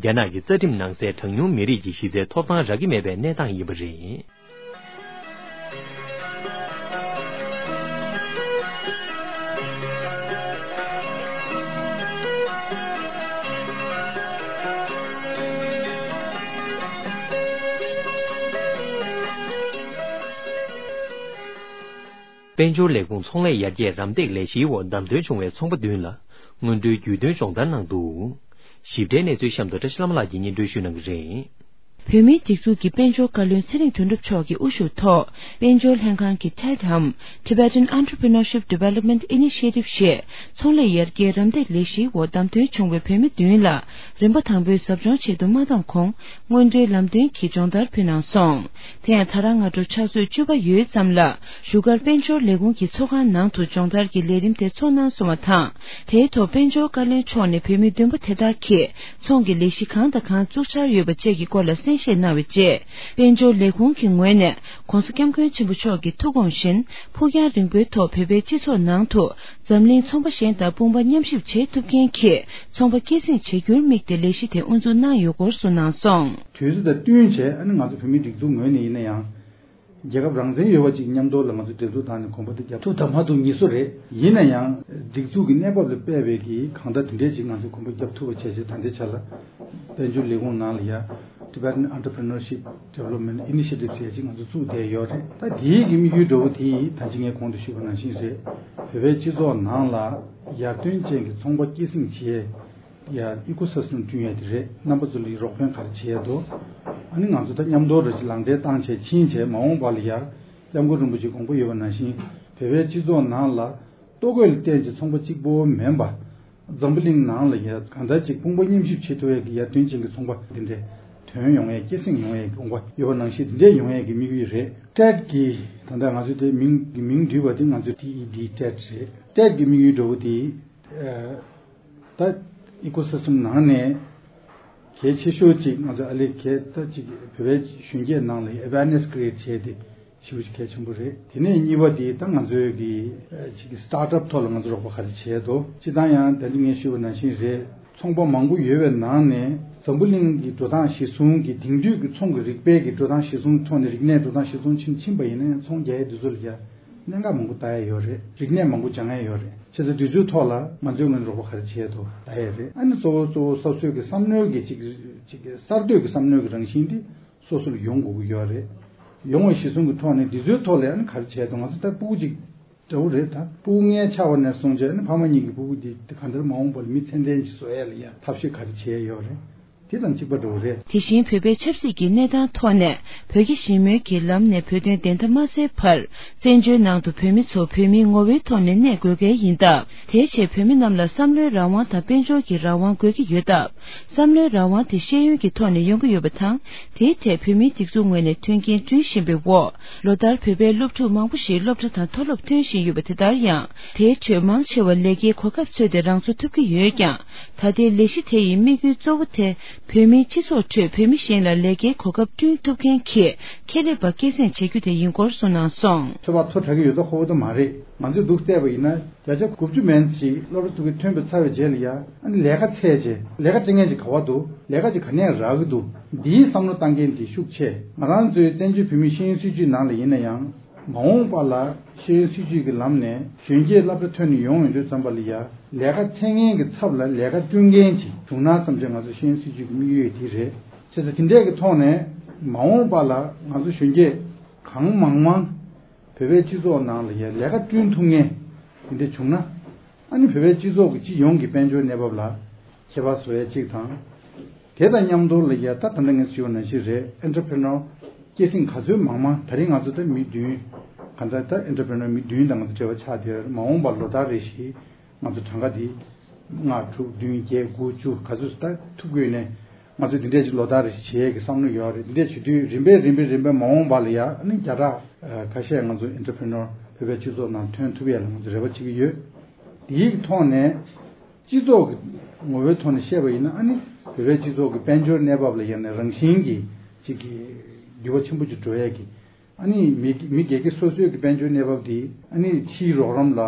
རྒྱ་ནག་གི་རྩ་ཁྲིམས་ནང་གསལ་གྲངས་ཉུང་མི་རིགས་ཀྱི་གཞི་རྩའི་ཐོབ་ཐང་རག་གི་མེད་པའི་གནས་སྟངས་ཡིན་པ་རེད། དཔལ་འབྱོར་ལས་ཁུངས་ཚོང་ལས་ཡར་རྒྱས་རམ་འདེགས་ལས་གཞིའི་འོག་བདམས་ཐོན་བྱུང་བའི་ཚོང་པ་བདུན་ལ་སྔོན་འགྲོའི་རྒྱུས་སྟོན་སྦྱོང་བརྡར་གནང་འདུག། ཞིབ་ཕྲའི་གནས་ཚུལ་གཤམ་དུ་བཀྲ་ཤིས་བླ་མ་ལགས་ཀྱིས་སྙན་སྒྲོན་ཞུ་གནང་གི་རེད། བོད་མིའི་སྒྲིག་འཛུགས་ཀྱི་དཔལ་འབྱོར་བཀའ་བློན་ཚེ་རིང་དོན་གྲུབ་མཆོག་གི་དབུ་བཞུགས་ཐོག་དཔལ་འབྱོར་ལྷན་ཁང་གི་ཐེད་དམ་Tibetan Entrepreneurship Development Initiative ཞེས་ཚོང་ལས་ཡར་རྒྱས་རམ་འདེགས་ལས་གཞིའི་འོག་བདམས་ཐོན་བྱུང་བའི་བོད་མི་བདུན་ལ་རིམ་པ་དང་པོའི་ཟབ་སྦྱོང་ཆེད་དུ་མ་བདམས་གོང་སྔོན་འགྲོའི་ལམ་སྟོན་གྱི་སྦྱོང་བརྡར་ཕུལ་གནང་སོང་། དེ་ཡང་ད་རང་སྔ་དྲོ་ཕྱག་ཚོད་བཅུ་པ་ཡོལ་ཙམ་ལ་བཞུགས་སྒར་དཔལ་འབྱོར་ལས་ཁུངས་ཀྱི་ཚོགས་ཁང་ནང་དུ་སྦྱོང་བརྡར་གྱི་ལས་རིམ་དེ་ཚོགས་གནང་སོང་བ་དང་། དེའི་ཐོག་དཔལ་འབྱོར་བཀའ་བློན་མཆོག་ནས་བོད་མི་བདུན་པོ་དེ་དག་གིས་ཚོང་གི་ལས་གཞི་གང་དང་གང་བཙུགས་འཆར་ཡོད་པ་བཅས་ཀྱི་སྐོར་ལ་གསན་བཞེས་གནང་བའི་རྗེས། དཔལ་འབྱོར་ལས་ཁུངས་ཀྱི་ངོས་ནས་༧གོང་ས་༧སྐྱབས་མགོན་ཆེན་པོ་མཆོག་གི་ཐུགས་དགོངས་བཞིན་ཕུགས་རྒྱང་རིང་པོའི་ཐོག་བོད་པའི་སྤྱི་ཚོགས་ནང་དུ་འཛམ་གླིང་ཚོང་པ་གཞན་དང་དཔུང་པ་མཉམ་གཤིབ་བྱེད་ཐུབ་མཁན་གྱི་ཚོང་པ་སྐྱེད་སྲིང་བྱེད་རྒྱུར་དམིགས་ཏེ་ལས་གཞི་དེ་དབུ་འཛུགས་གནང་ཡོད་སྐོར་གསུངས་གནང་སོང་། དུས་ཚོད་དང་བསྟུན་བྱས་ཨ་ནི་ང་ཚོ་བོད་མིའི་སྒྲིག་འཛུགས་ངོས་ནས་ཡིན་ན་ཡང་། རྒྱལ་ཁབ་རང་བཙན་ཡོད་པ་ཅིག་མཉམ་དུ་ལ་ང་ཚོ་འབྲེལ་གཏུག་བཏང་ནས་གོམ་པ་དེ་རྒྱབ་ཐུབ་དང་མ་ཐུབ་གཉིས་སུ་རེད། ཡིན་ན་ཡང་སྒྲིག་འཛུགས་ཀྱི་གནས་བབ་ལ་དཔག་པའི་གི་གང་ལྟར་དེ་འདྲས་ཅིག་ང་ཚོ་གོམ་པ་རྒྱབ་ཐུབ་པ་བྱས་བྱས་ད་ལྟའི་ཆ་ལ་དཔལ་འབྱོར་ལས་ཁུངས་ནང་ལ་ཡ་Tibetan Entrepreneurship Development Initiative ཟེར་ཅིག་ང་ཚོ་བཙུགས་བསྡད་ཡོད་རེད། ད་དེའི་གི་དམིགས་ཡུལ་འདྲ་བོ་དེ་ད་ཅི་ངས་གོང་དུ་ཞུས་པ་ནང་བཞིན་རེད། བོད་པའི་སྤྱི་ཚོགས་ནང་ལ་ཡར་ཐོན་ཅན་གྱི་ཚོང་པ་སྐྱེད་སྲིང་བྱེད་ཡ་ཡར་ecosystem བསྐྲུན་ཡ་དེ་རེད། རྣམ་པ་ཚོ་ལ་རོགས་ཕན་ག་རེ་བྱེད་ཡ་འདུག་ཨ་ནི་ང་ཚོ་ད་མཉམ་དུ་རེ་ཅིག་ལག་འབྲེལ་བཏང་བྱས་ཕྱིན་བྱས་མ་འོངས་པ་ལ་ཡ་སྐྱབས་མགོན་རིན་པོ་ཆེ་དགོངས་པ་ཡོད་པ་ནང་བཞིན་བོད་པའི་སྤྱི་ཚོགས་ནང་ལ་ལྟོ་གོས་ལ་བརྟེན་བྱས་ཚོང་པ་གཅིག་པོ་མིན་པ། འཛམ་བུ་གླིང་ནང་ལ་ཡ་གང་ལྟར་ཅིག་དཔུང་པ་མཉམ་གཤིབ་བྱེད་ཐུབ་ཡ་གི་ཡར་ཐོན་ཅན་གྱི་ཚོང་པ་འདི་འདྲས་ཐོན་ཡོང་ཡ་སྐྱེད་སྲིང་ཡོང་ཡ་གི་དགོངས་པ་ཡོད་པ་ནང་བཞིན་འདི་འདྲས་ཡོང་ཡ་གི་དམིགས་ཡུལ་རེད། ཊེཌ་གི་ད་ལྟ་ང་ཚོ་དེ་མིང་གི་མིང་བསྡུས་པ་དེ་ང་ཚོ་ཊི་ཨི་ཌི་ཊེཌ་རེད། ཊེཌ་གི་དམིགས་ཡུལ་འདྲ་བོ་དེ། ད་ecosystem ནང་ནས་གལ་ཆེ་ཤོས་གཅིག་ང་ཚོ་ཨ་ལེ་གལ་ད་གཅིག་བོད་པའི་གཞོན་སྐྱེས་ནང་ལ་awareness create བྱས་ཏེ་ཞེ་པོ་ཅིག་གལ་ཆེན་པོ་རེད། དེ་ནས་གཉིས་པ་དེ་ད་ང་ཚོའི་གི་ཅིག་གི་startup ཐོག་ལ་ང་ཚོ་རོགས་པ་ག་རེ་བྱས་འདུག་སྤྱིར་བཏང་ཡང་ད་ཅི་ངས་ཞུས་པ་ནང་བཞིན་རེད། ཚོང་པ་མང་པོ་ཡོད་པའི་ནང་ནས་འཛམ་བུ་གླིང་གི་འགྲོ་སྟངས་གཞི་བཟུང་གི་དེང་དུས་ཀྱི་ཚོང་གི་རིག་པའི་གི་འགྲོ་སྟངས་གཞི་བཟུང་ཐོག་ནས་རིག་གནས་འགྲོ་སྟངས་གཞི་བཟུང་ཕྱིན་ཕྱིན་པ་ཡིན་ན་ཡང་ཚོང་རྒྱག་ཡས་དེ་ཚོ་ལ་ཡ་གནད་འགག་མང་པོ་ལྟ་ཡ་ཡོད་རེད། རིག་གནས་མང་པོ་སྦྱང་ཡ་ཡོད་རེད། བྱས་ཙང་དུས་ཚོད་ཐོག་ལ་ང་ཚོའི་ངོས་ནས་རོགས་པ་ག་རེ་བྱས་འདུག་ལྟ་ཡ་རེད། ཨ་ནི་གཙོ་བོ་གཙོ་བོ་སོ་སོའི་གི་བསམ་བློའི་གི་ཅིག་ཅིག་གསར་གཏོད་ཀྱི་བསམ་བློའི་གི་རང་བཞིན་དེ་སོ་སོ་ལ་ཡོང་དགོས་ཀྱི་ཡོད་རེད། ཡོང་བ་གཞི་བཟུང་གི་ཐོག་ནས་དུས་ཚོད་ཐོག་ལ་ཨ་ནི་ག་རེ་བྱས་འདུག་ང་ཚོ་ད་སྤུ་གུ་ཅིག་འདྲ་བོ་རེད། ད་སྤུ་གུ་ལྔའི་ཆ་བ་ནས་བཟུང་བྱས་ཨ་ནི་ཕ་མ་གཉིས་ཀྱི་སྤུ་གུ་དེ་ག་འདྲ་མ་འོངས་པ་ལ་མི་ཚད་ལྡན་ཅིག་བཟོ་ཡ་ལ་ཡ་ཐབས་ཤེས་ག་རེ་བྱས་ཡོད་རེད། དེ་དང་གཅིག་པ་འདྲ་བོ་རེད། དེ་བཞིན་བོད་པའི་ཆབ་སྲིད་ཀྱི་གནས་སྟངས་ཐོག་ནས་བོད་རྒྱ་ཞི་མོལ་གྱི་ལམ་ནས་བོད་དོན་བདེན་མཐའ་མ་གསལ་བར་བཙན་བྱོལ་ནང་དུ་བོད་མི་ཚོ་བོད་མིའི་ངོ་བོའི་ཐོག་ནས་གནས་དགོས་གལ་ཡིན་སྟབས། དེའི་ཆེད་བོད་མི་རྣམས་ལ་བསམ་བློའི་རང་དབང་དང་དཔལ་འབྱོར་གྱི་རང་དབང་དགོས་ཀྱི་ཡོད་སྟབས། བསམ་བློའི་རང་དབང་དེ་ཤེས་ཡོན་གྱི་ཐོག་ནས་ཡོང་གི་ཡོད་པ་དང་། དེའི་ཐད་བོད་མིའི་སྒྲིག་འཛུགས་ངོས་ནས་མཐུན་རྐྱེན་བསྐྲུན་བཞིན་པའི་འོག་ལོ་ལྟར་བོད་པའི་སློབ་ཕྲུག་མང་པོ་ཞིག་སློབ་གྲྭ་དང་མཐོ་སློབ་ཐོན་བཞིན་ཡོད་པ་དེ་ལྟར་ཡང་། དེའི་ཁྲོད་མང་ཆེ་བ་ལས་ཀའི་གོ་སྐབས་འཚོལ་ཏེ་རང་འཚོ་ཐུབ་ཀྱི་ཡོད་ཀྱང་། ད་ལྟའི་ལས་གཞི་དེ་ཡི་དམིགས་ཡུལ་གཙོ་བོ་དེ། བོད་མིའི་སྤྱི་ཚོགས་ཁྲོད་བོད་མི་གཞན་ལ་ལས་ཀའི་གོ་སྐབས་བསྐྲུན་ཐུབ་མཁན་གྱི་ཁེ་ལས་པ་སྐྱེད་སྲིང་བྱེད་རྒྱུ་དེ་ཡིན་སྐོར་གསུངས་གནང་སོང་། ཚོད་དཔག་མཐོ་དྲགས་ཀྱི་ཡོད་ད་ཁོ་བོ་ད་མ་རེད། ང་ཚོས་འདུག་བལྟས་པ་ཡིན་ན་བརྒྱ་ཆ་དགུ་བཅུ་མན་ཞིག་སློབ་གྲྭ་ཚུགས་ཀྱི་ཐོན་པ་ཚར་བའི་རྗེས་ལ་ཡ་ཨ་ནི་ལས་ཀ་འཚོལ་བྱས་ལས་ཀ་སྤྲད་མཁན་ཅིག་ག་བ་འདུག་ལས་ཀ་ཅིག་ག་ནས་རག་གི་འདུག་འདིའི་བསམ་བློ་བཏང་མཁན་དེ་ཤུགས་ཆེ། ང་རང་ཚོའི་བཙན་བྱོལ་བོད་མིའི་ཤེས་ཡོན་སྲིད་བྱུས་ནང་ལ་ཡིན་ན་ཡང་། མ་འོངས་པ་ལ་ཤེས་ཡོན་སྲིད་བྱུས་ཀྱི་ལམ་ནས་གཞོན་སྐྱེས་སློབ་གྲྭ་ཐོན་ནས་ཡོང་ཡོང་དུས་ཙམ་པ་ལ་ཡ་ལས་ཀ་འཚོལ་མཁན་གྱི་ཚབ་ལ་ལས་ཀ་བསྐྲུན་མཁན་ཅིག་བྱུང་ན་བསམ་བྱས་ང་ཚོ་ཤེས་ཡོན་སྲིད་བྱུས་ཀྱི་དམིགས་ཡུལ་དེ་རེད། བྱས་ཙང་དེ་འདྲས་ཀྱི་ཐོག་ནས་མ་འོངས་པ་ལ་ང་ཚོ་གཞོན་སྐྱེས་གང་མང་མང་བོད་པའི་སྤྱི་ཚོགས་ནང་ལ་ཡ་ལས་ཀ་བསྐྲུན་ཐུབ་མཁན་དེ་འདྲས་བྱུང་ན་ཨ་ནི་བོད་པའི་སྤྱི་ཚོགས་ཀྱི་སྤྱི་ཡོངས་ཀྱི་དཔལ་འབྱོར་གནས་བབ་ལ་ཁྱད་པར་བཟོ་ཡ་གཅིག་དང་། དེ་དང་མཉམ་དུ་ལ་ཡ་ད་ད་ལྟ་ངས་ཞུས་པ་ནང་བཞིན་རེད། ཨེན་ཊར་པི་རི་ནོར་སྐྱེད་སྲིང་ག་ཚོད་མང་མང་ད་རིང་ང་ཚོ་ད་མི་བདུན་གང་ལྟར་ད་ཨེན་ཊར་པི་རི་ནོར་མི་བདུན་དང་ང་ཚོ་འབྲེལ་བ་ཆགས་བསྡད་ཡོད་རེད། མ་འོངས་པར་ལོ་ལྟར་རེ་བཞིན་ང་ཚོ་གྲངས་ཀ་འདི་ལྔ་དྲུག་བདུན་བརྒྱད་དགུ་བཅུ་ག་ཚོད་ད་ཐུབ་དགོས་ནས་ང་ཚོ་འདི་འདྲས་ཅིག་ལོ་ལྟར་རེ་བཞིན་བྱེད་ཡས་ཀྱི་བསམ་བློ་ཡོད་རེད། འདི་འདྲས་བྱེད་དུས་རིམ་པས་རིམ་པས་རིམ་པས་མ་འོངས་པ་ལ་ཡ་ཨ་ནི་བརྒྱ་ཕྲག་ཁ་ཤས་ང་ཚོ་ཨེན་ཊར་པི་རི་ནོར་བོད་པའི་སྤྱི་ཚོགས་ནང་ཐོན་ཐུབ་ཡས་ལ་ང་ཚོ་རེ་བ་བྱེད་ཀྱི་ཡོད། དེའི་ཐོག་ནས། སྤྱི་ཚོགས་ཀྱི་ངོ་བོའི་ཐོག་ནས་བཤད་པ་ཡིན་ན་ཨ་ནི་བོད་པའི་སྤྱི་ཚོགས་ཀྱི་དཔལ་འབྱོར་གནས་བབ་ལ་ཡང་ན་རང་བཞིན་གྱི་ཅིག་གི་འགྱུར་བ་ཆེན་པོ་ཅིག་འགྲོ་ཡས་ཀྱི་ཨ་ནི་མི་མི་སྒེར་གྱི་སོ་སོའི་གི་དཔལ་འབྱོར་གནས་བབ་འདི་ཨ་ནི་ཕྱིའི་རོགས་རམ་ལ་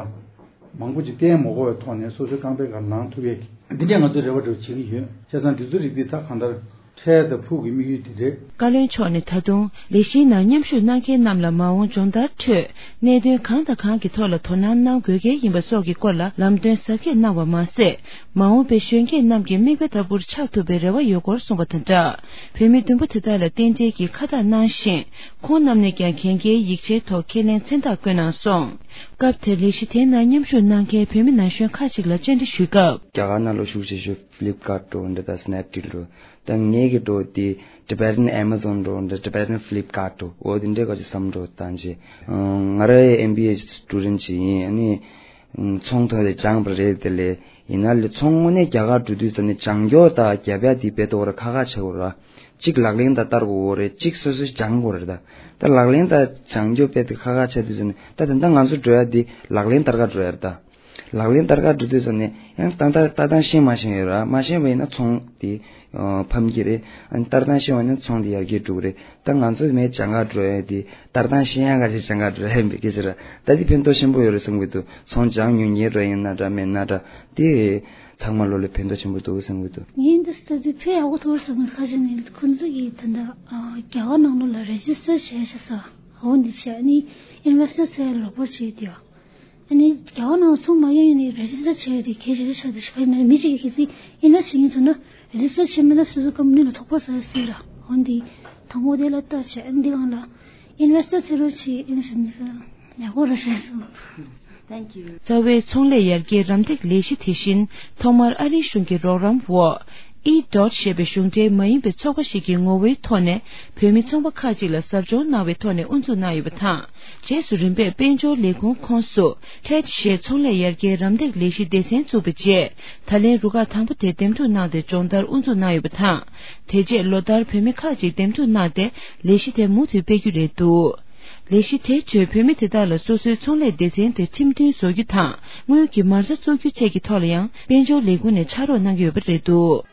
མང་པོ་ཅིག་བརྟེན་མ་དགོས་པའི་ཐོག་ནས་སོ་སོའི་རྐང་པའི་སྒང་ལངས་ཐུབ་ཡས་ཀྱི་འདི་འདྲས་ང་ཚོས་རེ་བ་འདྲ་བོ་བྱེད་ཀྱི་ཡོད། བྱས་ཙང་འདི་ཚོ་རིགས་འདི་ད་གང་ལྟར། འཕྲལ་དང་ཕུགས་ཀྱི་དམིགས་ཡུལ་འདི་རེད། བཀའ་བློན་མཆོག་ནས་ད་དུང་ལས་གཞིའི་ནང་མཉམ་ཞུགས་གནང་མཁན་རྣམས་ལ་མ་འོངས་སྦྱོང་བརྡར་ཁྲོད་གནད་དོན་གང་དང་གང་གི་ཐོག་ལ་དོ་སྣང་གནང་དགོས་གལ་ཡིན་པ་སོགས་ཀྱི་སྐོར་ལ་ལམ་སྟོན་ཟབ་རྒྱས་གནང་བ་མ་ཟད། མ་འོངས་པའི་གཞོན་སྐྱེས་རྣམས་ཀྱི་མིག་དཔེ་ལྟ་བུར་ཆགས་ཐུབ་པའི་རེ་བ་ཡོད་སྐོར་གསུངས་པ་དང་སྦྲགས། བོད་མི་བདུན་པོ་དེ་དག་ལ་རྟེན་འབྲེལ་གྱི་ཁ་བཏགས་གནང་ཞིང་། ཁོང་རྣམས་ནས་ཀྱང་གན་རྒྱའི་ཡིག་ཆའི་ཐོག་ཁས་ལེན་མཚན་རྟགས་བཀོད་གནང་སོང་། སྐབས་དེར་ལས་གཞི་དེའི་ནང་མཉམ་ཞུགས་གནང་མཁན་བོད་མི་ན་གཞོན་ཁག་ཅིག་ལ་བཅར་འདྲི་ཞུས་སྐབས། རྒྱ་གར་ནང་ལ་བཞུགས་བྱས་ཤོག Flipkart འགྲོ་འདི་དང་Snapdeal འགྲོ་ད་ངས། གི་འགྲོ་དེ་Tibetan Amazon འགྲོ་འདྲ། Tibetan Flipkart འགྲོ། འོ་དེ་འདྲའི་ཁ་ཅིག་བསམ་འགྲོ་བཏང་ཅི། ང་རའི་M B A student ཅིག་ཡིན། ཨ་ནི་ཚོང་ཐོག་ལས་སྦྱངས་པ་རེད། དེ་ལས་ཡིན་ན་ལས་ཚོང་དངོས་གནས་རྒྱ་གར་འགྲོ་དུས་ཙམ་ནས་སྦྱང་སྐྱོར་དང་རྒྱབ་ཡ་དེ་དཔེ་ཏོག་ར་ཁ་ཁ་ཆེ་བོ་ར། གཅིག་ལག་ལེན་དང་བསྟར་དགོས་རེད། གཅིག་སོ་སོས་སྦྱང་དགོས་རེད། ད་ད་ལག་ལེན་དང་སྦྱང་སྐྱོར་དཔེ་དེ་ཁ་ཁ་ཆེ་དུས་ཙམ་ནས། ད་དེ་འདྲ་ང་ཚོ་འགྲོ་ཡ་དེ་ལག་ལེན་བསྟར་ག་འགྲོ་ཡ་རེད། ད་ལག་ལེན་བསྟར་ག་འགྲོ་དུས་ཙམ་ནས་ཡང་ཏག་ཏག་ཏག་ཏག་ཤེས་མ་ཤེས་ཡོད་ར། མ་ཤེས་པ་ཡིན་ན་ཚོང་དེ་ཕམ་གྱི་རེད། ཨ་ནི་ཏག་ཏག་ཤེས་པ་ཡིན་ན་ཚོང་དེ་ཡར་རྒྱས་འགྲོ་གི་རེད། ད་ང་ཚོ་མེད་སྦྱང་ག་འགྲོ་ཡ་དེ་ཏག་ཏག་ཤེས་ཡ་ག་ཞིག་སྦྱང་ག་འགྲོ་ཡ་ཡིན་པའི་སྐད་ཆ་ར། ད་དེ་ཕན་ཐོགས་ཆེན་པོ་ཡོད་རེད་བསམ་གྱི་འདུག་ཚོང་སྦྱང་མྱོང་མཁན་ར་ཡིན་ན་འདྲ་མེད་ན་འདྲ། དེ་ཚང་མ་ལོ་ལ་ཕན་ཐོགས་ཆེན་པོ་འདུག་བསམ་གྱི་འདུག་ངས་འདི་ལྟ་དུས་ཕལ་ཡག་པོ་ཐོག་བསམ། ཁ་ཅིག་ནས་ཁོང་ཚོ་གིས་ད་ལྟ་རྒྱ་གར་ནང་ལོགས་ལ་རེ་ཇི་སི་ཊར་བྱས་ཤག་ཟེར། འོ་འདི་བྱས། ཨ་ནི་ཨིན་ཝེ་སི་ཊར་ཚོས་ལོག་པར་བྱས་ཏེ། ཨ་ནི་རྒྱ་གར་ནང་ཚོང་མ་ཡོང་ཡིན་ནའི་རེ་ཇི་སི་ཊར་བྱས་ཏེ་གལ་ཆེ་ཤོས་ཆགས་ཏེ་ཞིག་ཕ་ཡིན་ན། མི་གཅིག་གིས་གལ་སྲིད་ཨིན་ཝེ་སི་ཊར་བྱེད་མིན་ན་རེ་ཇི་སི་ཊར་བྱེད་མིན་ན་སོ་སོ་ཀམ་པ་ནི་ལ་ཐོགས་པ་ཟ་ཟེར་ར། འོ་འདི་དང་པོ་དེ་ལ་ལྟ་བྱས། ཨ་ནི་འདི་སྒང་ལ་ཨིན་ཝེ་སི་ཊར་ཚོས་རོགས་བྱེད་ཨིན་ཟེར་ནས་ཟེར། ཡག་པོ་རེད་ཟེར་སོང་། Thank you། རྩ་བའི་ཚོང་ལས་ཡར་རྒྱས་རམ་འདེགས་ལས་གཞི་དེ་བཞིན་ཐོག་མར་ཨ་རིའི་གཞུང་གི་རོགས་རམ་འོག་ཨི་ཌོཊ་ཞེས་པའི་གཞུང་འབྲེལ་མ་ཡིན་པའི་ཚོགས་པ་ཞིག་གི་ངོ་བོའི་ཐོག་ནས་བོད་མི་ཚོང་པ་ཁག་ཅིག་ལ་ཟབ་སྦྱོང་གནང་བའི་ཐོག་ནས་དབུ་འཛུགས་གནང་ཡོད་པ་དང་། རྗེས་སུ་རིམ་པས་དཔལ་འབྱོར་ལས་ཁུངས་ཁོངས་སུ་ཊེཌ་ཞེས་ཚོང་ལས་ཡར་རྒྱས་རམ་འདེགས་ལས་གཞི་སྡེ་ཚན་བཙུགས་པའི་རྗེས། ད་ལན་རུ་ཁག་དང་པོ་དེ་འདེམས་སྒྲུག་གནང་སྟེ་སྦྱོང་བརྡར་དབུ་འཛུགས་གནང་ཡོད་པ་དང་། དེ་རྗེས་ལོ་ལྟར་བོད་མི་ཁག་ཅིག་འདེམས་སྒྲུག་གནང་སྟེ་ལས་གཞི་དེ་མུ་མཐུད་སྤེལ་རྒྱུ་རེད་འདུག་ལས་གཞི་དེའི་ཁྲོད་བོད་མི་དེ་དག་ལ་སོ་སོའི་ཚོང་ལས་སྡེ་ཚན་དེ་ཁྲིམས་མཐུན་བཟོ་རྒྱུ་དང་། དངུལ་གྱི་མ་རྩ་བཙུགས་རྒྱུ་བཅས་ཀྱི་ཐོག་ལ་ཡང་དཔལ་འབྱོར་ལས་ཁུངས་ནས་ཕྱག་རོགས་གནང་གི་ཡོད་པ་རེད་འདུག་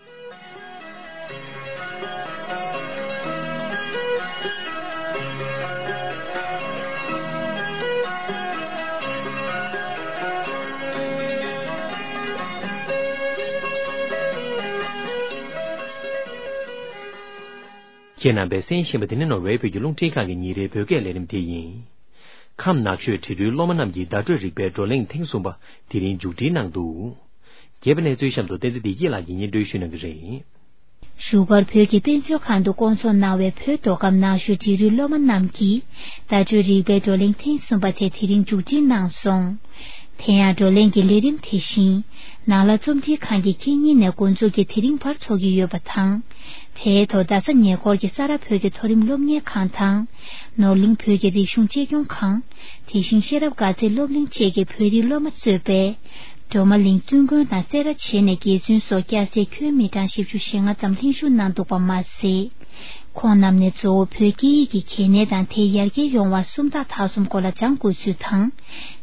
ཁྱེད་རྣམ་པས་གསན་བཞིན་པ་འདི་ནི་ནོར་ཝེ་བོད་ཀྱི་རླུང་འཕྲིན་ཁང་གི་ཉིན་རེའི་བོད་སྐད་ལས་རིམ་དེ་ཡིན། ཁམས་ནགས་ཤོད་བྲིས་རུའི་སློབ་མ་རྣམས་ཀྱི་བརྡ་སྤྲོད་རིག་པའི་བགྲོ་གླེང་ཐེངས་གསུམ་པ་དེ་རིང་མཇུག་སྒྲིལ་གནང་འདུག་རྒྱས་པ་གནས་ཚུལ་གཤམ་དུ་བསྟན་འཛིན་བདེ་སྐྱིད་ལགས་ཀྱིས་སྙན་སྒྲོན་ཞུ་གནང་གི་རེད། བཞུགས་སྒར་བོད་ཀྱི་དཔེ་མཛོད་ཁང་དུ་བསྐོང་ཚོགས་གནང་བའི་བོད་མདོ་ཁམས་ནགས་ཤོད་བྲིས་རུའི་སློབ་མ་རྣམས་ཀྱིས་བརྡ་སྤྲོད་རིག་པའི་བགྲོ་གླེང་ཐེངས་གསུམ་པ་དེ་དེ་རིང་མཇུག་སྒྲིལ་གནང་སོང་། དེ་ཡང་བགྲོ་གླེང་གི་ལས་རིམ་དེ་བཞིན་ནགས་ལྷ་རྩོམ་སྒྲིག་ཁང་གི་ཁེ་ཉིན་ནས་འགོ་འཛུགས་ཀྱིས་དེ་རིང་བར་འཚོགས་ཀྱི་ཡོད་པ་དང་། དེའི་ཐོག་རྡ་ས་ཉེ་འཁོར་གྱི་ས་རཱ་བོད་ཀྱི་མཐོ་རིམ་སློབ་གཉེར་ཁང་དང་། ནོར་གླིང་བོད་ཀྱི་རིག་གཞུང་གཅེས་སྐྱོང་ཁང་། དེ་བཞིན་ཤེས་རབ་དགའ་ཚལ་སློབ་གླིང་བཅས་ཀྱི་བོད་རིགས་སློབ་མ་གཙོས་པའི་སྒྲོལ་མ་གླིང་བཙུན་དགོན་དང་སེ་ར་བྱེས་ནས་རྒྱལ་བཙུན་སོགས་སྐྱ་སེར་ཁྱོན་མི་གྲངས་བཞི་བཅུ་ཞེ་ལྔ་ཙམ་ལྷན་ཞུགས་གནང་འདུག་པ་མ་ཟད། ཁོང་རྣམས་ནས་གཙོ་བོ་བོད་སྐད་ཡིག་གི་གལ་གནད་དང་དེ་ཡར་རྒྱས་ཡོང་བར་སུམ་རྟགས་དག་གསུམ་སྐོར་ལ་སྦྱང་དགོས་ཚུལ་དང་།